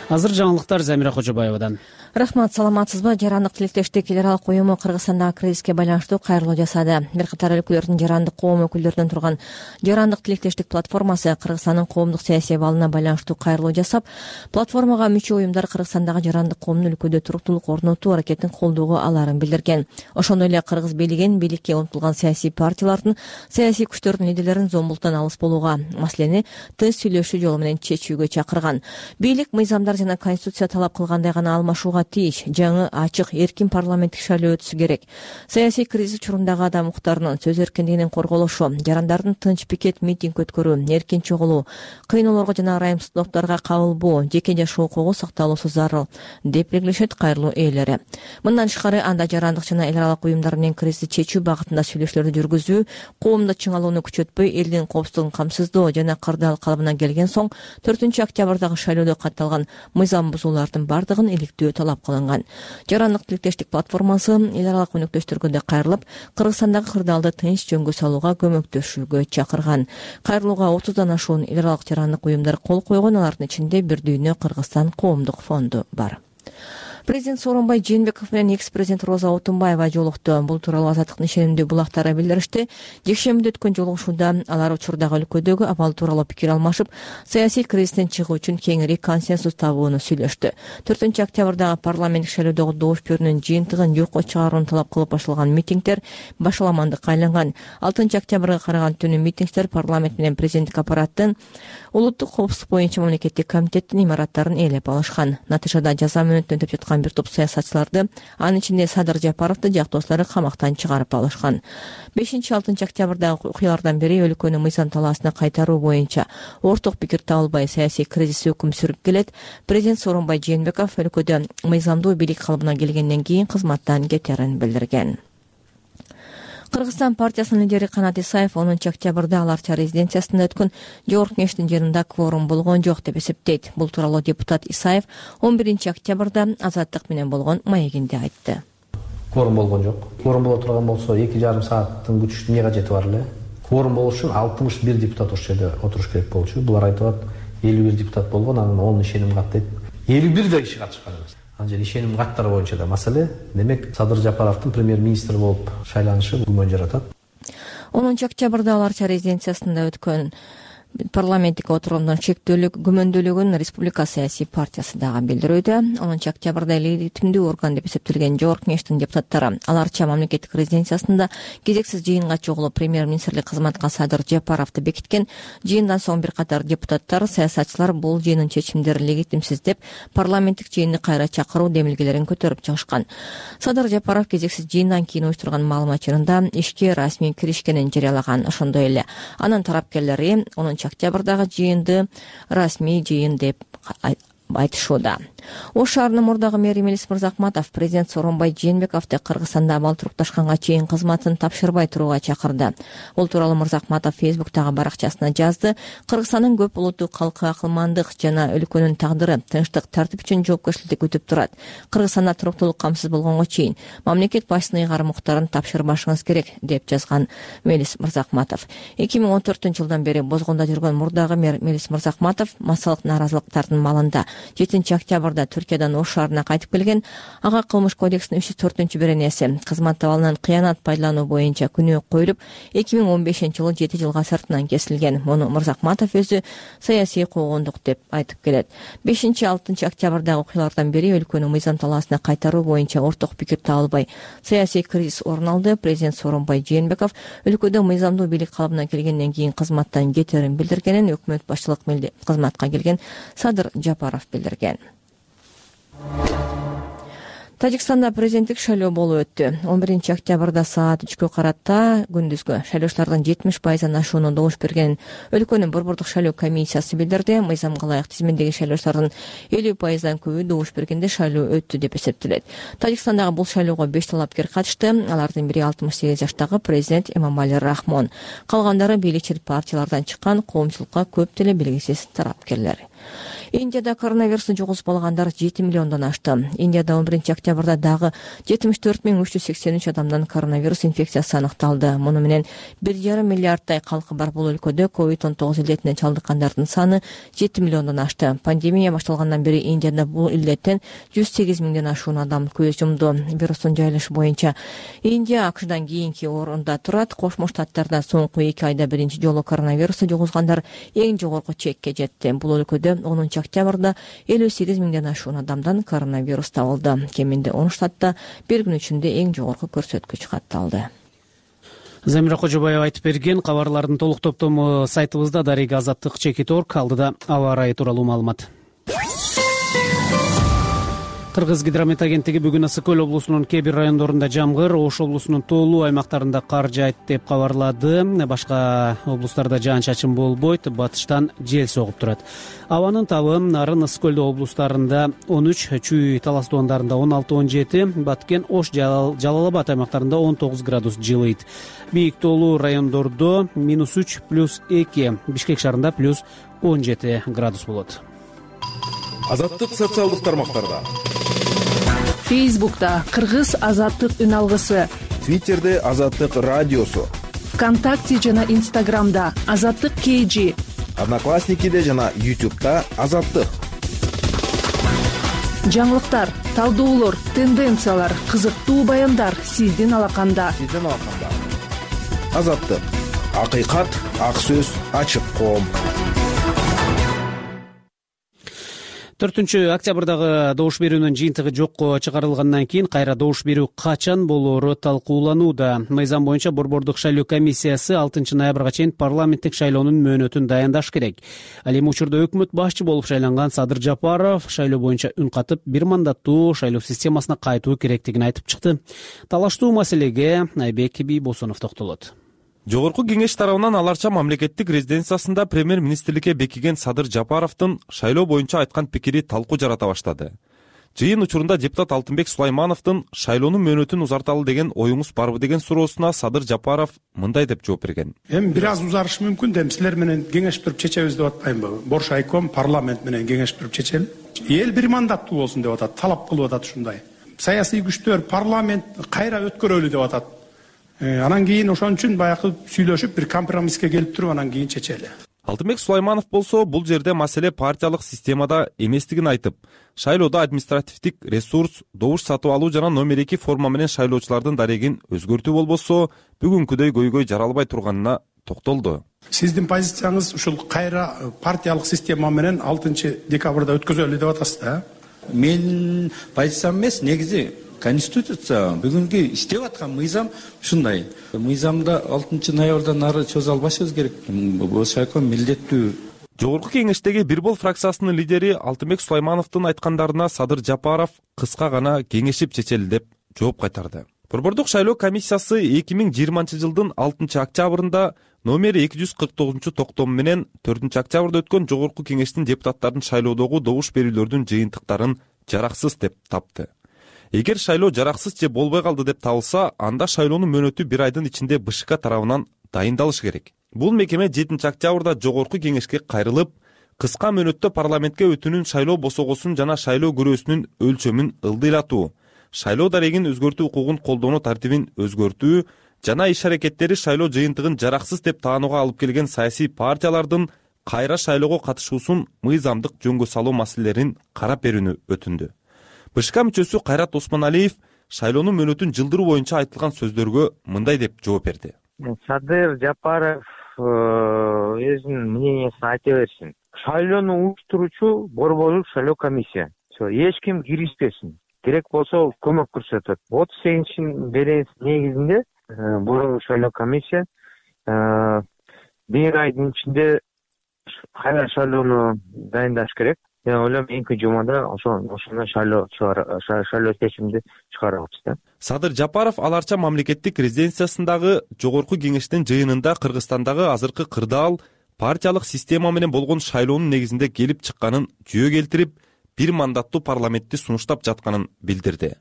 Азыр жаңылыктар Замира Кожобаевадан. Рахмат, саламатсызбы? Жарандык тилектештик эл аралык уюму Кыргызстандагы кризиске байланыштуу кайрылуу жасады. Бир катар өлкөлөрдүн жарандык коом өкүлдөрүнөн турган Жарандык тилектештик платформасы Кыргызстандын коомдук саясий абалына байланыштуу кайрылуу жасап, платформага мүчө уюмдар Кыргызстандагы жарандык коомдун өлкөдө туруктуулук орнотуу аракетин колдоого аларын билдирген. Ошондой эле кыргыз бийлигин, бийликке умтулган саясий партиялардын, саясий күчтөрдүн лидерлерин зомбулуктан алыс болууга, маселени тынч сүйлөшүү жолу менен чечүүгө чакырган. Бийлик мыйзамдар жана конституция талап кылгандай гана алмашууга тийиш, жаңы, ачык, эркин парламенттик шайлоо өтүшү керек. Саясий кризис учурундагы адам укуктарынын, сөз эркиндигинин корголушу, жарандардын тынч пикет, митинг өткөрүү, эркин чогулуу, кыйноолорго жана ырайымсыздыктарга кабылбоо, жеке жашоо укугу сакталуусу зарыл, деп белгилешет кайрылуу ээлери. Мындан тышкары, анда жарандык жана эл аралык уюмдар менен кризисти чечүү багытында сүйлөшүүлөрдү жүргүзүү, коомдо чыңалууну күчөтпөй, элдин коопсуздугун камсыздоо жана кырдаал калыбына келген соң төртүнчү октябрдагы шайлоодо катталган мыйзам бузуулардын бардыгын иликтөө талап кылынган. Жарандык тилектештик платформасы эл аралык өнөктөштөргө да кайрылып, Кыргызстандагы кырдаалды тынч жөнгө салууга көмөктөшүүгө чакырган. Кайрылууга отуздан ашуун эл аралык жарандык уюмдар кол койгон, алардын ичинде Бир дүйнө Кыргызстан коомдук фонду бар. Президент Сооронбай Жээнбеков менен экс-президент Роза Отунбаева жолукту. Бул тууралуу Азаттыктын ишенимдүү булактары билдиришти. Жекшембиде өткөн жолугушууда алар учурдагы өлкөдөгү абал тууралуу пикир алмашып, саясий кризистен чыгуу үчүн кеңири консенсус табууну сүйлөштү. төртүнчү октябрдагы парламенттик шайлоодогу добуш берүүнүн жыйынтыгын жокко чыгарууну талап кылып башталган митингдер башаламандыкка айланган. алтынчы октябрга караган түнү митингдер парламент менен президенттик аппараттын улуттук коопсуздук боюнча мамлекеттик комитеттин имараттарын ээлеп алышкан. Натыйжада жаза мөөнөтүн өтөп жаткан бир топ саясатчыларды, анын ичинде Садыр Жапаровду жактоостары камактан чыгарып алышкан. бешинчи алтынчы октябрдагы окуялардан бери өлкөнү мыйзам талаасына кайтаруу боюнча орток пикир табылбай саясий кризис өкүм сүрүп келет. Президент Сооронбай Жээнбеков өлкөдө мыйзамдуу бийлик калыбына келгенден кийин кызматтан кетерин билдирген. Кыргызстан партиясынын лидери Канат Исаев онунчу октябрда Аларча резиденциясында өткөн жогорку кеңештин жыйынында кворум болгон жок деп эсептейт. Бул тууралуу депутат Исаев он биринчи октябрда Азаттык менен болгон маегинде айтты. кворум болгон жок. Кворум боло турган болсо эки жарым сааттын күтүштү эмне кажети бар эле. Кворум болуш үчүн алтымыш бир депутат ошол жерде отуруш керек болчу. Булар айтып атат элүү бир депутат болгон, анан он ишеним кат дейт. элүү бир да киши катышкан эмес. Ал жерде ишеним каттары боюнча да маселе. Демек Садыр Жапаровдун премьер-министр болуп шайланышы күмөн жаратат. онунчу октябрда Аларча резиденциясында өткөн парламенттик отурумдун чектөөлүк күмөндүүлүгүн Республика саясий партиясы дагы билдирүүдө. онунчу октябрда легитимдүү орган деп эсептелген Жогорку Кеңештин депутаттары Аларча мамлекеттик резиденциясында кезексиз жыйынга чогулуп премьер-министрлик кызматка Садыр Жапаровду бекиткен. Жыйындан соң бир катар депутаттар, саясатчылар бул жыйындын чечимдери легитимсиз деп парламенттик жыйынды кайра чакыруу демилгелерин көтөрүп чыгышкан. Садыр Жапаров кезексиз жыйындан кийин уюштурган маалымат жыйынында ишке расмий киришкенин жарыялаган. Ошондой эле анын тарапкерлери онунчу октябрдагы жыйынды расмий жыйын деп айтышууда. Ош шаарынын мурдагы мэри Мелис Мырзахматов президент Сооронбай Жээнбековду Кыргызстанда абал-турукташканга чейин кызматын тапшырбай турууга чакырды. Бул тууралуу Мырзахматов Фейсбуктагы баракчасына жазды. Кыргызстандын көп улуттуу калкы акылмандык жана өлкөнүн тагдыры, тынчтык, тартип үчүн жоопкерчилик күтүп турат. Кыргызстанда туруктуулук камсыз болгонго чейин мамлекет башчысынын ыйгарым уктарын тапшырбашыңыз керек деп жазган Мелис Мырзахматов. эки миң он төртүнчү жылдан бери Бозгондо жүргөн мурдагы мэр Мелис Мырзахматов массалык нааразылыктардын малында жетинчи октябрда Түркиядан Ош шаарына кайтып келген. Ага кылмыш кодексинин үч жүз төртүнчү беренеси кызмат абалынан кыянат пайдалануу боюнча күнөө коюлуп, эки миң он бешинчи жылы жети жылга сыртынан кесилген. Муну Мырзахматов өзү саясий куугундук деп айтып келет. бешинчи алтынчы октябрдагы окуялардан бери өлкөнү мыйзам талаасына кайтаруу боюнча орток пикир табылбай саясий кризис орун алды. Президент Сооронбай Жээнбеков өлкөдө мыйзамдуу бийлик калыбына келгенден кийин кызматтан кетерин билдиргенин өкмөт башчылык кызматка келген Садыр Жапаров билдирген. Тажикстанда президенттик шайлоо болуп өттү. он биринчи октябрда саат үчкө карата күндүзгү шайлоочулардын жетимиш пайыздан ашууну добуш бергенин өлкөнүн борбордук шайлоо комиссиясы билдирди. Мыйзамга ылайык тизмедеги шайлоочулардын элүү пайыздан көбү добуш бергенде шайлоо өттү деп эсептелет. Тажикстандагы бул шайлоого беш талапкер катышты. Алардын бири алтымыш сегиз жаштагы президент Эмомали Рахмон. Калгандары бийликчил партиялардан чыккан коомчулукка көп деле белгисиз тарапкерлер. Индияда коронавирусту жугузуп алгандар жети миллиондон ашты. Индияда он биринчи октябрда дагы жетимиш төрт миң үч жүз сексен үч адамдан коронавирус инфекциясы аныкталды. Муну менен бир жарым миллиардтай калкы бар бул өлкөдө ковид он тогуз илдетине чалдыккандардын саны жети миллиондон ашты. Пандемия башталгандан бери Индияда бул илдеттен жүз сегиз миңден ашуун адам көз жумду. Вирустун жайылышы боюнча Индия АКШдан кийинки орунда турат. Кошмо Штаттарда соңку эки айда биринчи жолу коронавирусту жугузгандар эң жогорку чекке жетти. Бул өлкөдө онунчу октябрда элүү сегиз миңден ашуун адамдан коронавирус табылды. Кеминде он штатта бир күн ичинде эң жогорку көрсөткүч катталды. Замира Кожобаева айтып берген. Кабарлардын толук топтому сайтыбызда дарега азаттык чекит точка орг. Алдыда аба ырайы тууралуу маалымат. Кыргыз гидромет агенттиги бүгүн Ысык Көл облусунун кээ бир райондорунда жамгыр, Ош облусунун тоолуу аймактарында кар жаайт деп кабарлады. Башка облустарда жаан-чачын болбойт, батыштан жел согуп турат. Абанын табы Нарын, Ысык Көл облустарында он үч, Чүй, Талас тоондарында он алты он жети, Баткен, Ош, Жалал Абад аймактарында он тогуз градус жылыйт. Бийик тоолуу райондордо минус үч, плюс эки, Бишкек шаарында плюс он жети градус болот. Азаттык социалдык тармактарда. Фейсбукта Кыргыз азаттык үн алгысы, Твиттерде Азаттык радиосу, ВКонтакте жана Инстаграмда Азаттык кей жи, Одноклассникиде жана Ютубта Азаттык. Жаңылыктар, талдоолор, тенденциялар, кызыктуу баяндар сиздин алаканда. Сиздин алаканда. Азаттык. Акыйкат, ак сөз, ачык коом. төртүнчү октябрдагы добуш берүүнүн жыйынтыгы жокко чыгарылгандан кийин кайра добуш берүү качан болоору талкууланууда. Мыйзам боюнча борбордук шайлоо комиссиясы алтынчы ноябрга чейин парламенттик шайлоонун мөөнөтүн дайындаш керек. Ал эми учурда өкмөт башчы болуп шайланган Садыр Жапаров шайлоо боюнча үн катып бир мандаттуу шайлоо системасына кайтуу керектигин айтып чыкты. Талаштуу маселеге Айбек Бийбосунов токтолот. Жогорку кеңеш тарабынан Аларча мамлекеттик резиденциясында премьер-министрликке бекиген Садыр Жапаровдун шайлоо боюнча айткан пикири талкуу жарата баштады. Жыйын учурунда депутат Алтынбек Сулаймановдун шайлоонун мөөнөтүн узарталы деген оюңуз барбы деген суроосуна Садыр Жапаров мындай деп жооп берген. Эми бир аз узарышы мүмкүн да, силер менен кеңешип туруп чечебиз деп атпаймынбы? Боршайком парламент менен кеңешип туруп чечели. Эл бир мандаттуу болсун деп атат, талап кылып атат ушундай. саясий күчтөр парламент кайра өткөрөлү деп атат. Анан кийин ошон үчүн баягы сүйлөшүп бир компромисске келип туруп анан кийин чечели. Алтынбек Сулайманов болсо бул жерде маселе партиялык системада эместигин айтып, шайлоодо административдик ресурс, добуш сатып алуу жана номер эки форма менен шайлоочулардын дарегин өзгөртүү болбосо бүгүнкүдөй көйгөй жаралбай турганына токтолду. Сиздин позицияңыз ушул кайра партиялык система менен алтынчы декабрда өткөзөлү деп атасыз да? Менин позициям эмес, негизи конституция бүгүнкү иштеп аткан мыйзам ушундай. Мыйзамда алтынчы ноябрдан ары чөзө албашыбыз керек. Бул шайкы милдеттүү. Жогорку кеңештеги Бир Бол фракциясынын лидери Алтынбек Сулаймановдун айткандарына Садыр Жапаров кыска гана кеңешип чечели деп жооп кайтарды. Борбордук шайлоо комиссиясы эки миң жыйырманчы жылдын алтынчы октябрында номер эки жүз кырк тогузунчу токтому менен төртүнчү октябрда өткөн жогорку кеңештин депутаттарын шайлоодогу добуш берүүлөрдүн жыйынтыктарын жараксыз деп тапты. Эгер шайлоо жараксыз же болбой калды деп табылса, анда шайлоонун мөөнөтү бир айдын ичинде БШК тарабынан дайындалышы керек. Бул мекеме жетинчи октябрда жогорку кеңешке кайрылып, кыска мөөнөттө парламентке өтүүнүн шайлоо босогосун жана шайлоо көрөөсүнүн өлчөмүн ылдыйлатуу, шайлоо дарегин өзгөртүү укугун колдонуу тартибин өзгөртүү жана иш-аракеттери шайлоо жыйынтыгын жараксыз деп таанууга алып келген саясий партиялардын кайра шайлоого катышуусун мыйзамдык жөнгө салуу маселелерин карап берүүнү өтүндү. БШК мүчөсү Кайрат Осмоналиев шайлоонун мөөнөтүн жылдыруу боюнча айтылган сөздөргө мындай деп жооп берди. Садыр Жапаров өзүнүн мнениясын айта берсин. Шайлоону уюштуруучу борборлук шайлоо комиссия. Эч ким киришпесин. Керек болсо көмөк көрсөтөт. отуз сегизинчи беренесин негизинде борборлук шайлоо комиссия бир айдын ичинде кайра шайлоону дайындаш керек. Мен ойлойм эки жумада ошондой шайлоо шайлоо чечимди чыгарабыз да. Садыр Жапаров Аларча мамлекеттик резиденциясындагы жогорку кеңештин жыйынында Кыргызстандагы азыркы кырдаал партиялык система менен болгон шайлоонун негизинде келип чыкканын жүйө келтирип, бир мандаттуу парламентти сунуштап жатканын билдирди.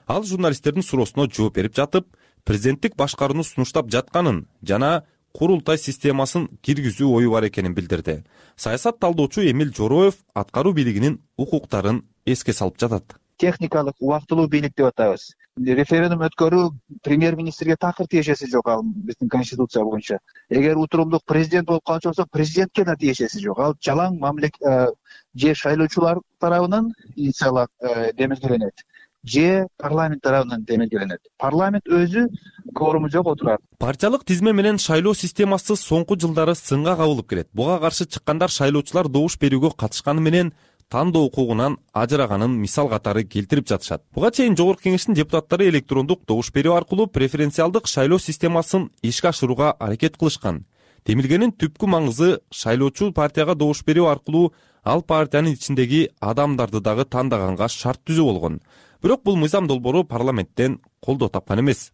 Ал журналисттердин суроосуна жооп берип жатып, президенттик башкарууну сунуштап жатканын жана курултай системасын киргизүү ою бар экенин билдирди. Саясат талдоочу Эмил Жороев аткаруу бийлигинин укуктарын эске салып жатат. Техникалык убактылуу бийлик деп атабыз. Референдум өткөрүү премьер-министрге такыр тиешеси жок, ал биздин конституция боюнча. Эгер утурумдук президент болуп калчу болсо, президентке да тиешеси жок. Ал жалаң мамлекет же шайлоочулар тарабынан инициатива демилгеленет, же парламент тарабынан демилгеленет. Парламент өзү кворуму жок отурат. Партиялык тизме менен шайлоо системасы соңку жылдары сынга кабылып келет. Буга каршы чыккандар шайлоочулар добуш берүүгө катышканы менен тандоо укугунан ажыраганын мисал катары келтирип жатышат. Буга чейин жогорку кеңештин депутаттары электрондук добуш берүү аркылуу преференциалдык шайлоо системасын ишке ашырууга аракет кылышкан. Демилгенин түпкү маңызы шайлоочу партияга добуш берүү аркылуу ал партиянын ичиндеги адамдарды дагы тандаганга шарт түзүү болгон. Бирок бул мыйзам долбоору парламенттен колдоо тапкан эмес.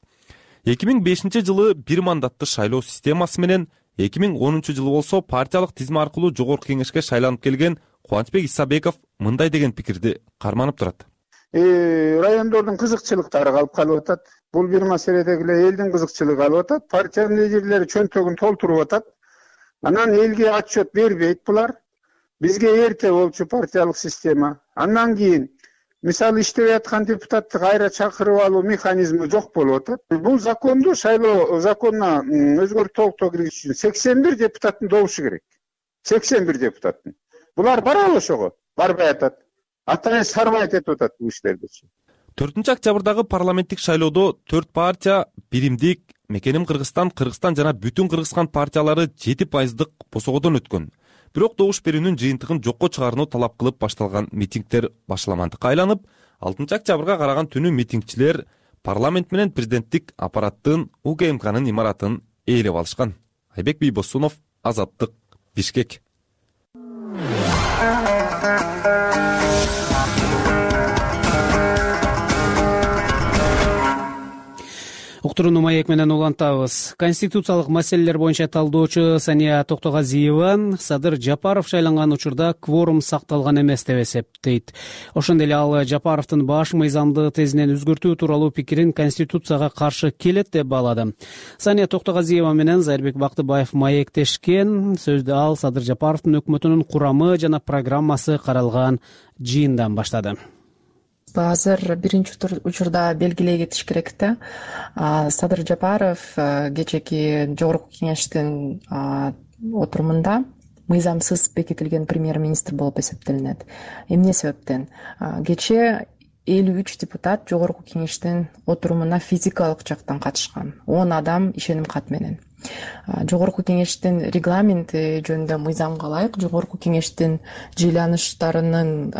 эки миң бешинчи жылы бир мандатты шайлоо системасы менен, эки миң онунчу жылы болсо партиялык тизме аркылуу жогорку кеңешке шайланып келген Кубанычбек Исабеков мындай деген пикирди карманып турат. Райондордун кызыкчылыктары калып калып атат. Бул бир маселедеги эле элдин кызыкчылыгы калып атат. Партиянын лидерлери чөнтөгүн толтуруп атат. Анан элге отчет бербейт булар. Бизге эрте болчу партиялык система. Андан кийин мисалы иштеп аткан депутатты кайра чакырып алуу механизми жок болуп атат. Бул законду шайлоо законуна өзгөртүү толуктоо киргизиш үчүн сексен бир депутаттын добушу керек. сексен бир депутаттын. Булар барабы ошого? Барбай атат. Атайын сарбайт этип атат бул иштерди. төртүнчү октябрдагы парламенттик шайлоодо төрт партия Биримдик, Мекеним Кыргызстан, Кыргызстан жана Бүтүн Кыргызстан партиялары жети пайыздык босогодон өткөн. Бирок добуш берүүнүн жыйынтыгын жокко чыгарууну талап кылып башталган митингдер башаламандыкка айланып, алтынчы октябрга караган түнү митингчилер парламент менен президенттик аппараттын УКМКнын имаратын ээлеп алышкан. Айбек Бийбосунов, Азаттык, Бишкек. Уктурууну маек менен улантабыз. Конституциялык маселелер боюнча талдоочу Сания Токтогазиева Садыр Жапаров шайланган учурда кворум сакталган эмес деп эсептейт. Ошондой эле ал Жапаровдун баш мыйзамды тезинен өзгөртүү тууралуу пикирин Конституцияга каршы келет деп баалады. Сания Токтогазиева менен Зайырбек Бактыбаев маектешкен. Сөздү ал Садыр Жапаровдун өкмөтүнүн курамы жана программасы каралган жыйындан баштады. азыр биринчи учурда белгилей кетиш керек да, Садыр Жапаров кечээки жогорку кеңештин отурумунда мыйзамсыз бекитилген премьер-министр болуп эсептелинет. Эмне себептен? Кечээ элүү үч депутат жогорку кеңештин отурумуна физикалык жактан катышкан. он адам ишеним кат менен. Жогорку кеңештин регламенти жөнүндө мыйзамга ылайык жогорку кеңештин жыйланыштарынын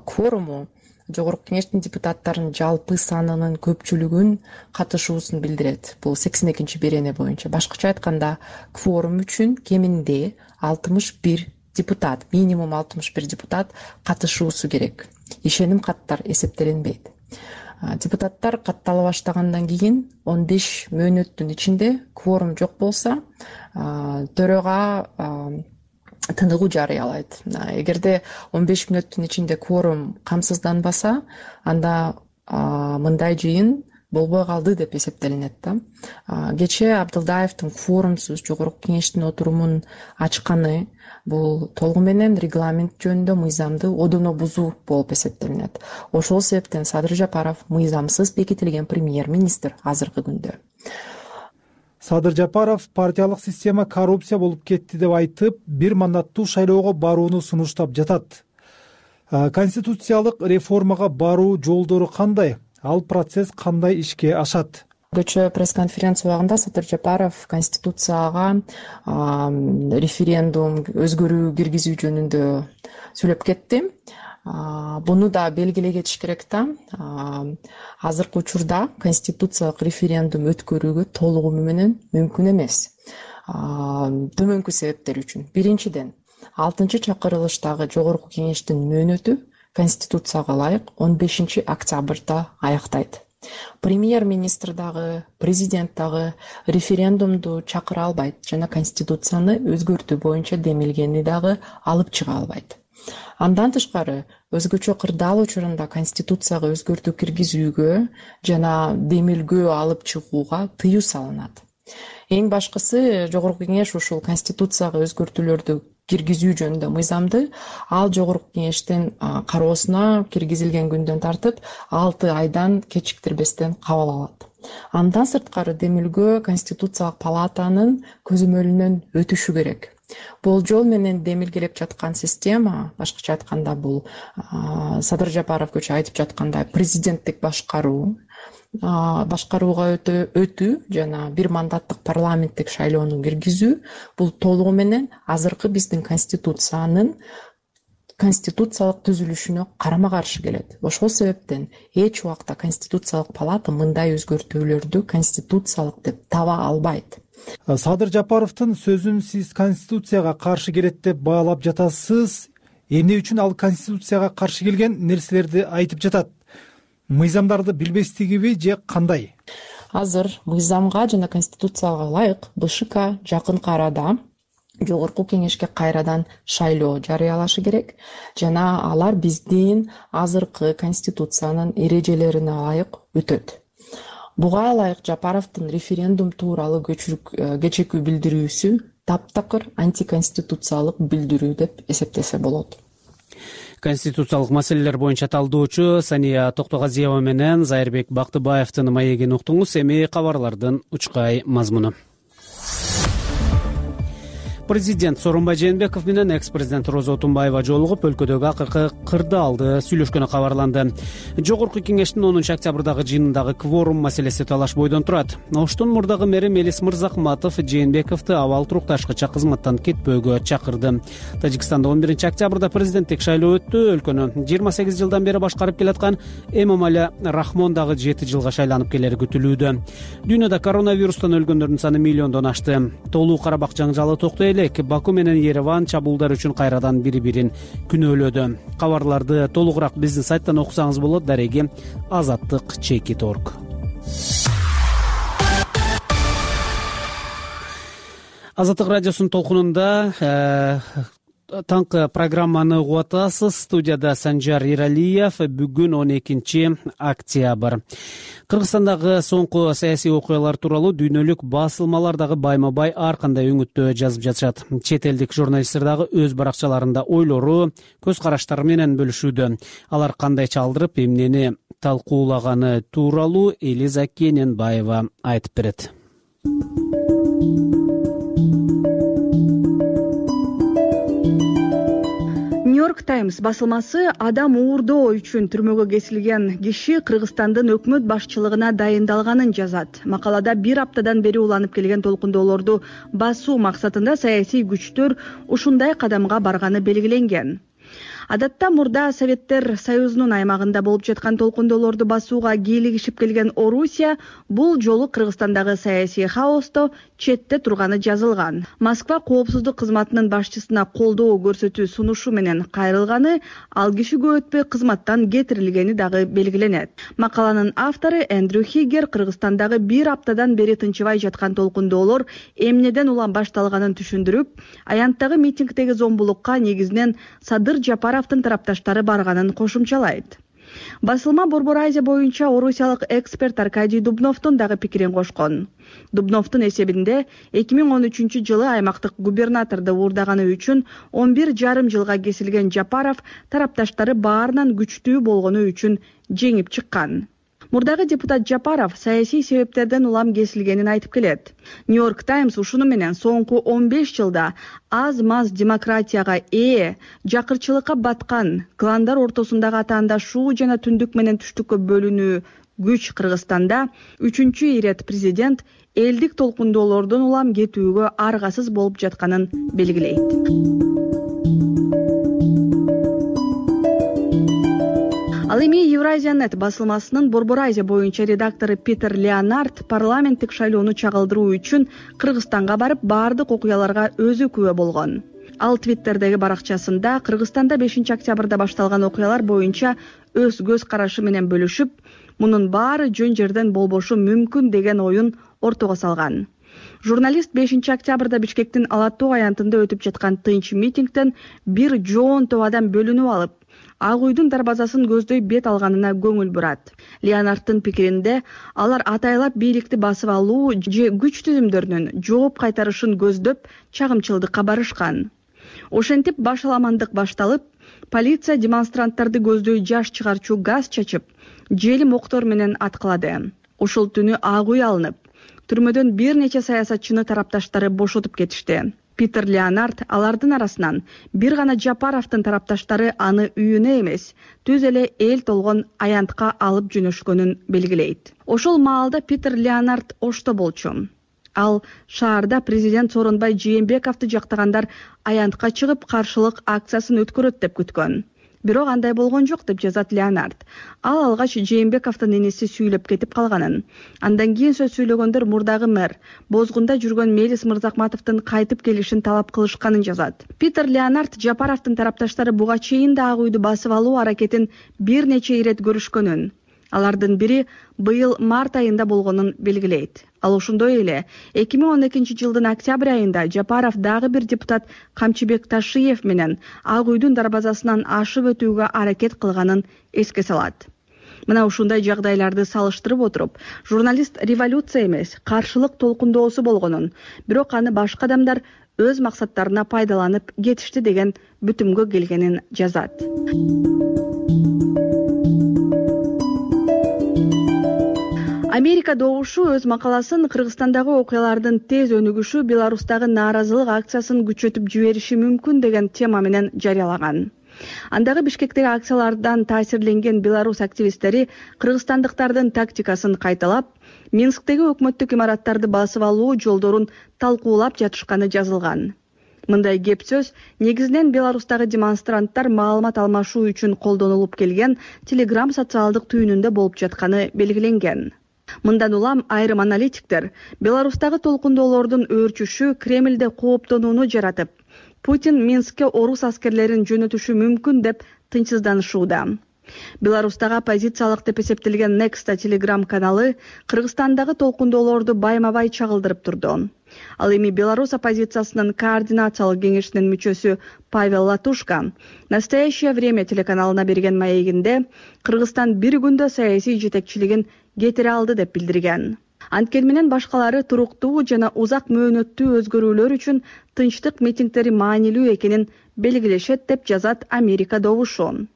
кворуму жогорку кеңештин депутаттарынын жалпы санынын көпчүлүгүн катышуусун билдирет. Бул сексен экинчи берене боюнча. Башкача айтканда, кворум үчүн кеминде алтымыш бир депутат, минимум алтымыш бир депутат катышуусу керек. Ишеним каттар эсептелинбейт. Депутаттар каттала баштагандан кийин он беш мөөнөттүн ичинде кворум жок болсо, төрага тыныгуу жарыялайт. Эгерде он беш мүнөттүн ичинде кворум камсызданбаса, анда мындай жыйын болбой калды деп эсептелинет да. Кечээ Абдылдаевдин кворумсуз жогорку кеңештин отурумун ачканы бул толугу менен регламент жөнүндө мыйзамды одоно бузуу болуп эсептелинет. Ошол себептен Садыр Жапаров мыйзамсыз бекитилген премьер-министр азыркы күндө. Садыр Жапаров партиялык система коррупция болуп кетти деп айтып, бир мандаттуу шайлоого барууну сунуштап жатат. Конституциялык реформага баруу жолдору кандай? Ал процесс кандай ишке ашат? Кечээ пресс-конференция убагында Садыр Жапаров Конституцияга референдум өзгөрүү киргизүү жөнүндө сүйлөп кетти. Буну да белгилей кетиш керек да. Азыркы учурда конституциялык референдум өткөрүүгө толугу менен мүмкүн эмес. Төмөнкү себептер үчүн. Биринчиден, алтынчы чакырылыштагы жогорку кеңештин мөөнөтү Конституцияга ылайык он бешинчи октябрда аяктайт. Премьер-министр дагы, президент дагы референдумду чакыра албайт жана Конституцияны өзгөртүү боюнча демилгени дагы алып чыга албайт. Андан тышкары, өзгөчө кырдаал учурунда Конституцияга өзгөртүү киргизүүгө жана демилгөө алып чыгууга тыюу салынат. Эң башкысы, жогорку кеңеш ушул Конституцияга өзгөртүүлөрдү киргизүү жөнүндө мыйзамды ал жогорку кеңештин кароосуна киргизилген күндөн тартып алты айдан кечиктирбестен кабыл алат. Андан сырткары демилгөө Конституциялык палатанын көзөмөлүнөн өтүшү керек. Болжол менен демилгелеп жаткан система, башкача айтканда бул Садыр Жапаров көчө айтып жаткандай президенттик башкаруу, башкарууга өтүү жана бир мандаттык парламенттик шайлоону киргизүү бул толугу менен азыркы биздин конституциянын конституциялык түзүлүшүнө карама каршы келет. Ошол себептен эч убакта Конституциялык палата мындай өзгөртүүлөрдү конституциялык деп таба албайт. Садыр Жапаровдун сөзүн сиз конституцияга каршы келет деп баалап жатасыз. Эмне үчүн ал конституцияга каршы келген нерселерди айтып жатат? Мыйзамдарды билбестигиби же кандай? Азыр мыйзамга жана конституцияга ылайык БШК жакынкы арада жогорку кеңешке кайрадан шайлоо жарыялашы керек жана алар биздин азыркы конституциянын эрежелерине ылайык өтөт. Буга ылайык Жапаровдун референдум тууралуу кечээки билдирүүсү таптакыр антиконституциялык билдирүү деп эсептесе болот. Конституциялык маселелер боюнча талдоочу Сания Токтогазиева менен Зайырбек Бактыбаевдин маегин уктуңуз. Эми кабарлардын учкай мазмуну. Президент Сооронбай Жээнбеков менен экс-президент Роза Отунбаева жолугуп, өлкөдөгү акыркы кырдаалды сүйлөшкөнү кабарланды. Жогорку кеңештин онунчу октябрдагы жыйынындагы кворум маселеси талаш бойдон турат. Оштун мурдагы мэри Мелис Мырзахматов Жээнбековду абал турукташкыча кызматтан кетпөөгө чакырды. Тажикстанда он биринчи октябрда президенттик шайлоо өттү. Өлкөнү жыйырма сегиз жылдан бери башкарып келаткан Эмомали Рахмон дагы жети жылга шайланып келери күтүлүүдө. Дүйнөдө коронавирустан өлгөндөрдүн саны миллиондон ашты. Толуу Карабак жаңжалы токтой элек. Баку менен Ереван чабуулдар үчүн кайрадан бири-бирин күнөөлөдү. Кабарларды толугураак биздин сайттан окусаңыз болот. Дареги азаттык чекит точка орг. Азаттык радиосунун толкунунда таңкы программаны угуп атасыз. Студияда Санжар Иралиев. Бүгүн он экинчи октябрь. Кыргызстандагы соңку саясий окуялар тууралуу дүйнөлүк басылмалар дагы байма-бай ар кандай өңүттө жазып жатышат. Чет элдик журналисттер дагы өз баракчаларында ойлору, көз караштары менен бөлүшүүдө. Алар кандай чалдырып, эмнени талкуулаганы тууралуу Элиза Кененбаева айтып берет. Нью-Йорк Таймс басылмасы адам уурдоо үчүн түрмөгө кесилген киши Кыргызстандын өкмөт башчылыгына дайындалганын жазат. Макалада бир аптадан бери уланып келген толкундоолорду басуу максатында саясий күчтөр ушундай кадамга барганы белгиленген. Адатта мурда Советтер Союзунун аймагында болуп жаткан толкундоолорду басууга кийлигишип келген Орусия бул жолу Кыргызстандагы саясий хаосто четте турганы жазылган. Москва коопсуздук кызматынын башчысына колдоо көрсөтүү сунушу менен кайрылганы, ал киши көп өтпөй кызматтан кетирилгени дагы белгиленет. Макаланын автору Эндрю Хигер Кыргызстандагы бир аптадан бери тынчыбай жаткан толкундоолор эмнеден улам башталганын түшүндүрүп, аянттагы митингдеги зомбулукка негизинен Садыр Жапаровдун тарапташтары барганын кошумчалайт. Басылма Борбор Азия боюнча орусиялык эксперт Аркадий Дубновдун дагы пикирин кошкон. Дубновдун эсебинде эки миң он үчүнчү жылы аймактык губернаторду уурдаганы үчүн он бир жарым жылга кесилген Жапаров тарапташтары баарынан күчтүү болгону үчүн жеңип чыккан. Мурдагы депутат Жапаров саясий себептерден улам кесилгенин айтып келет. Нью-Йорк Таймс ушуну менен соңку он беш жылда аз-маз демократияга ээ, жакырчылыкка баткан, кландар ортосундагы атаандашуу жана түндүк менен түштүккө бөлүнүү күч Кыргызстанда үчүнчү ирет президент элдик толкундоолордун улам кетүүгө аргасыз болуп жатканын белгилейт. Ал эми Евразия.нет басылмасынын Борбор Азия боюнча редактору Питер Леонард парламенттик шайлоону чагылдыруу үчүн Кыргызстанга барып, баардык окуяларга өзү күбө болгон. Ал Твиттердеги баракчасында Кыргызстанда бешинчи октябрда башталган окуялар боюнча өз көз карашы менен бөлүшүп, мунун баары жөн жерден болбошу мүмкүн деген оюн ортого салган. Журналист бешинчи октябрда Бишкектин Ала Тоо аянтында өтүп жаткан тынч митингден бир жоон топ адам бөлүнүп алып, Ак үйдүн дарбазасын көздөй бет алганына көңүл бурат. Леонарддын пикиринде, алар атайлап бийликти басып алуу же күч түзүмдөрүнүн жооп кайтарышын көздөп чагымчылдыкка барышкан. Ошентип башаламандык башталып, полиция демонстранттарды көздөй жаш чыгарчу газ чачып, желим октор менен аткылады. Ушул түнү Ак үй алынып, түрмөдөн бир нече саясатчыны тарапташтары бошотуп кетишти. Питер Леонард алардын арасынан бир гана Жапаровдун тарапташтары аны үйүнө эмес, түз эле эл толгон аянтка алып жөнөшкөнүн белгилейт. Ошол маалда Питер Леонард Ошто болчу. Ал шаарда президент Сооронбай Жээнбековду жактагандар аянтка чыгып каршылык акциясын өткөрөт деп күткөн. Бирок андай болгон жок деп жазат Леонард. Ал алгач Жээнбековдун энеси сүйлөп кетип калганын. Андан кийин сөз сүйлөгөндөр мурдагы мэр Бозгунда жүргөн Мелис Мырзакматовдун кайтып келишин талап кылышканын жазат. Питер Леонард Жапаровдун тарапташтары буга чейин да Ак үйдү басып алуу аракетин бир нече ирет көрүшкөнүн, алардын бири быйыл март айында болгонун белгилейт. Ал ошондой эле эки миң он экинчи жылдын октябрь айында Жапаров дагы бир депутат Камчыбек Ташиев менен Ак үйдүн дарбазасынан ашып өтүүгө аракет кылганын эске салат. Мына ушундай жагдайларды салыштырып отуруп, журналист революция эмес, каршылык толкундоосу болгонун, бирок аны башка адамдар өз максаттарына пайдаланып кетишти деген бүтүмгө келгенин жазат. Америка добушу өз макаласын Кыргызстандагы окуялардын тез өнүгүшү Беларустагы нааразылык акциясын күчөтүп жибериши мүмкүн деген тема менен жарыялаган. Андагы Бишкектеги акциялардан таасирленген Беларусь активисттери кыргызстандыктардын тактикасын кайталап, Минсктеги өкмөттүк имараттарды басып алуу жолдорун талкуулап жатышканы жазылган. Мындай кеп сөз негизинен Беларустагы демонстранттар маалымат алмашуу үчүн колдонулуп келген Telegram социалдык түйүнүндө болуп жатканы белгиленген. Мындан улам айрым аналитиктер Беларустагы толкундоолордун өөрчүшү Кремлде кооптонууну жаратып, Путин Минскке орус аскерлерин жөнөтүшү мүмкүн деп тынчсызданышууда. Беларустагы оппозициялык деп эсептелген Nexta Telegram каналы Кыргызстандагы толкундоолорду байма-бай чагылдырып турду. Ал эми Беларусь оппозициясынын координациялык кеңешинин мүчөсү Павел Латушка «Настоящее время» телеканалына берген маегинде Кыргызстан бир күндө саясий жетекчилигин кетире алды деп билдирген. Анткени менен башкалары туруктуу жана узак мөөнөттүү өзгөрүүлөр үчүн тынчтык митингдери маанилүү экенин белгилешет деп жазат Америка добушу.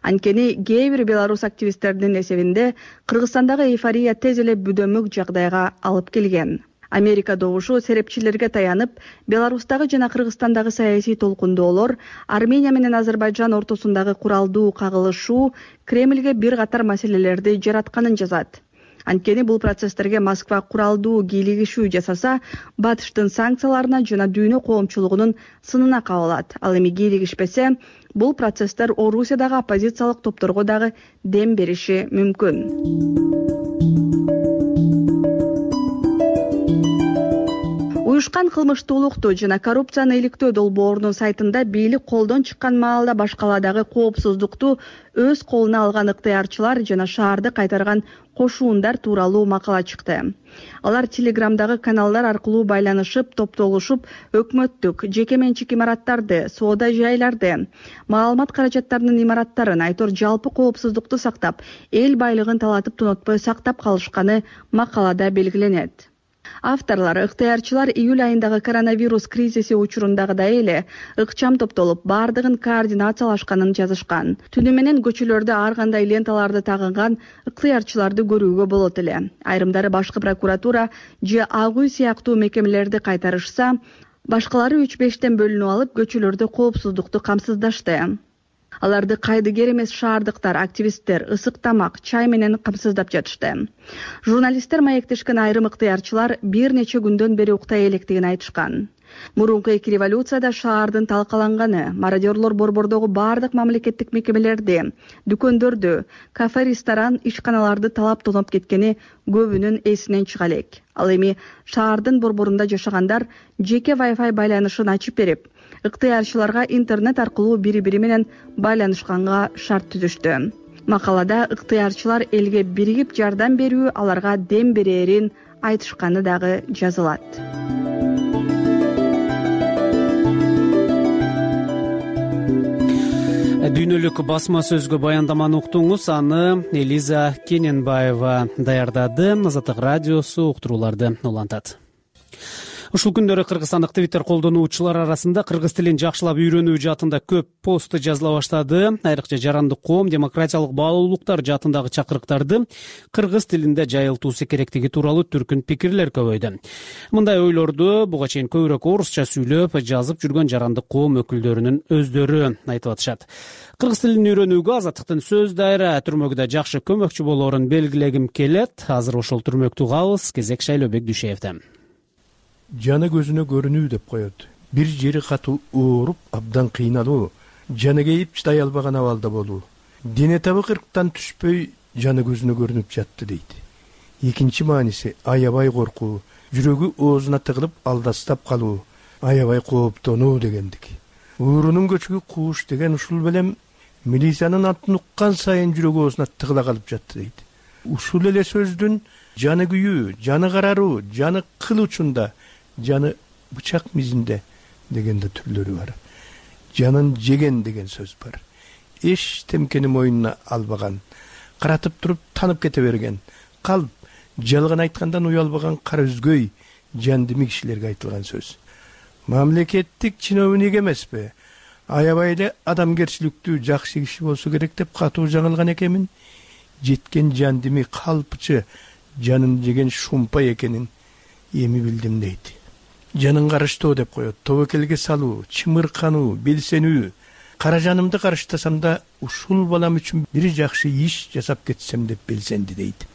Анткени кээ бир белорус активисттеринин эсебинде Кыргызстандагы эйфория тез эле бүдөмүк жагдайга алып келген. Америка добушу серепчилерге таянып, Беларустагы жана Кыргызстандагы саясий толкундоолор Армения менен Азербайжан ортосундагы куралдуу кагылышуу Кремльге бир катар маселелерди жаратканын жазат. Анткени бул процесстерге Москва куралдуу кийлигишүү жасаса, Батыштын санкцияларына жана дүйнө коомчулугунун сынына кабылат. Ал эми кийлигишпесе, бул процесстер Орусиядагы оппозициялык топторго дагы дем бериши мүмкүн. Уюшкан кылмыштуулукту жана коррупцияны иликтөө долбоорунун сайтында бийлик колдон чыккан маалда башкаладагы коопсуздукту өз колуна алган ыктыярчылар жана шаарды кайтарган кошуундар тууралуу макала чыкты. Алар Телеграмдагы каналдар аркылуу байланышып, топтолушуп, өкмөттүк, жеке менчик имараттарды, соода жайларды, маалымат каражаттарынын имараттарын, айтор жалпы коопсуздукту сактап, эл байлыгын талатып тунотпой сактап калышканы макалада белгиленет. Авторлар ыктыярчылар июль айындагы коронавирус кризиси учурундагыдай эле ыкчам топтолуп, бардыгын координациялашканын жазышкан. Түнү менен көчөлөрдө ар кандай ленталарды тагынган ыктыярчыларды көрүүгө болот эле. Айрымдары башкы прокуратура же Ак үй сыяктуу мекемелерди кайтарышса, башкалары үч бештен бөлүнүп алып, көчөлөрдө коопсуздукту камсыздашты. Аларды кайдыгер эмес шаардыктар, активисттер ысык тамак, чай менен камсыздап жатышты. Журналисттер маектешкен айрым ыктыярчылар бир нече күндөн бери уктай электигин айтышкан. Мурунку эки революцияда шаардын талкаланганы, мародерлор борбордогу бардык мамлекеттик мекемелерди, дүкөндөрдү, кафе, ресторан, ишканаларды талап тоноп кеткени көбүнүн эсинен чыга элек. Ал эми шаардын борборунда жашагандар жеке Wi-Fi байланышын ачып берип, ыктыярчыларга интернет аркылуу бири-бири менен байланышканга шарт түзүштү. Макалада ыктыярчылар элге биригип жардам берүү аларга дем берерин айтышканы дагы жазылат. Дүйнөлүк басма сөзгө баяндаманы уктуңуз, аны Элиза Кененбаева даярдады. Азаттык радиосу уктурууларды улантат. Ушул күндөрү кыргызстандык Twitter колдонуучулар арасында кыргыз тилин жакшылап үйрөнүү жаатында көп пост жазыла баштады. Айрыкча жарандык коом демократиялык баалуулуктар жаатындагы чакырыктарды кыргыз тилинде жайылтуусу керектиги тууралуу түркүн пикирлер көбөйдү. Мындай ойлорду буга чейин көбүрөөк орусча сүйлөп, жазып жүргөн жарандык коом өкүлдөрүнүн өздөрү айтып атышат. Кыргыз тилин үйрөнүүгө Азаттыктын сөз дайра түрмөгүдө жакшы көмөкчү болоорун белгилегим келет. Азыр ошол түрмөктү угабыз. Кезек Шайлообек Дүйшеевден. Жаны көзүнө көрүнүү деп коет. Бир жери катуу ооруп, абдан кыйналуу, жаны кейип чыдай албаган абалда болуу. Дене табы кырктан түшпөй, жаны көзүнө көрүнүп жатты дейт. Экинчи мааниси аябай коркуу, жүрөгү оозуна тыгылып алдастап калуу, аябай кооптонуу дегендик. Уурунун көчүгү кууш деген ушул белем милициянын атын уккан сайын жүрөгү оозуна тыгыла калып жатты дейт. Ушул эле сөздүн жаны күйүү, жаны караруу, жаны кыл учунда, жаны бычак мизинде дегенде түрлөрү бар. Жанын жеген деген сөз бар. Эч темкени мойнуна албаган, каратып туруп танып кете берген, калп, жалган айткандан уялбаган кара үзгөй, жандими кишилерге айтылган сөз. Мамлекеттик чиновник эмеспи, аябай эле адамгерчиликтүү жакшы киши болсо керек деп катуу жаңылган экенмин. Жеткен жандими калпчы, жанын жеген шумпа экенин эми билдим дейт. Жанын карыштоо деп коет. Тобокелге салуу, чымыркануу, белсенүү. Кара жанымды карыштасам да ушул балам үчүн бир жакшы иш жасап кетсем деп белсенди дейт.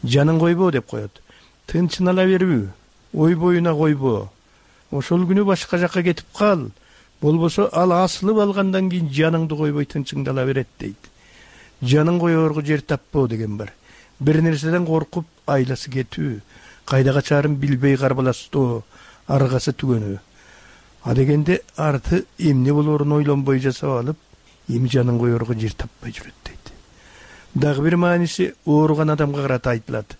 Жанын койбоо деп коет. Тынчын ала берүү, ой боюна койбоо. Ошол күнү башка жакка кетип кал. Болбосо ал асылып алгандан кийин жаныңды койбой тынчыңды ала берет дейт. Жанын коёорго жер таппоо деген бар. Бир нерседен коркуп айласы кетүү, кайда качаарын билбей карбаластоо, аргасы түгөнүү. А дегенде арты эмне болоорун ойлонбой жасап алып, эми жанын коёрго жер таппай жүрөт дейт. дагы бир мааниси ооруган адамга карата айтылат.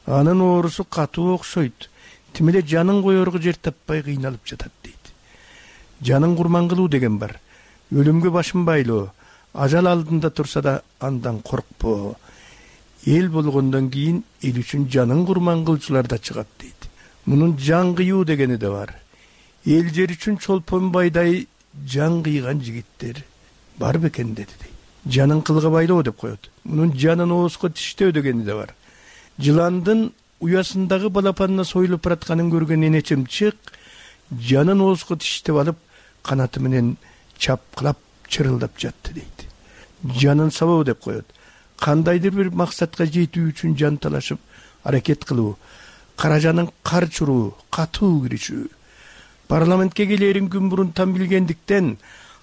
Анын оорусу катуу окшойт, тим эле жанын коерго жер таппай кыйналып жатат дейт. Жанын курман кылуу деген бар. Өлүмгө башын байлоо, ажал алдында турса да андан коркпо. Эл болгондон кийин эл үчүн жанын курман кылчулар да чыгат дейт. Мунун жан кыюу дегени да бар. Эл жер үчүн чолпон байдай жан кыйган жигиттер бар бекен деди дейт. Жанын кылга байлоо деп коет. Мунун жанын ооска тиштөө дегени да бар. Жыландын уясындагы балапанына союлуп баратканын көргөн энечем чык жанын ооска тиштеп алып канаты менен чапкылап чырылдап жатты дейт. Жанын сабоо деп коет. Кандайдыр бир максатка жетүү үчүн жан талашып аракет кылуу, каражанын кар чуруу, катуу киришүү. Парламентке келерин күн мурун там билгендиктен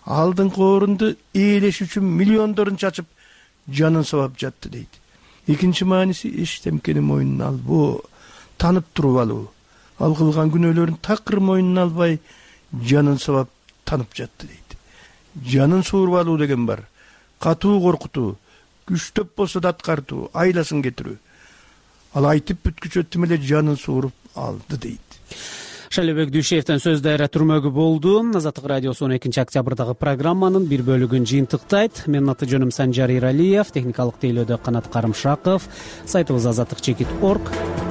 алдыңкы орунду ээлеш үчүн миллиондорун чачып жанын сабап жатты дейт. Экинчи мааниси эчтемкени мойнуна албоо, танып туруп алуу. Ал кылган күнөөлөрүн такыр мойнуна албай жанын сабап танып жатты дейт. Жанын сууруп алуу деген бар. Катуу коркутуу, күчтөп болсо да аткартуу, айласын кетирүү. Ал айтып бүткүчө тим эле жанын сууруп алды дейт. Шайлообек Дүйшеевден сөз дайра түрмөгү болду. Азаттык радиосу он экинчи октябрдагы программанын бир бөлүгүн жыйынтыктайт. Менин аты жөнүм Санжар Иралиев, техникалык тейлөөдө Канат Карымшаков, сайтыбыз азаттык чекит точка орг.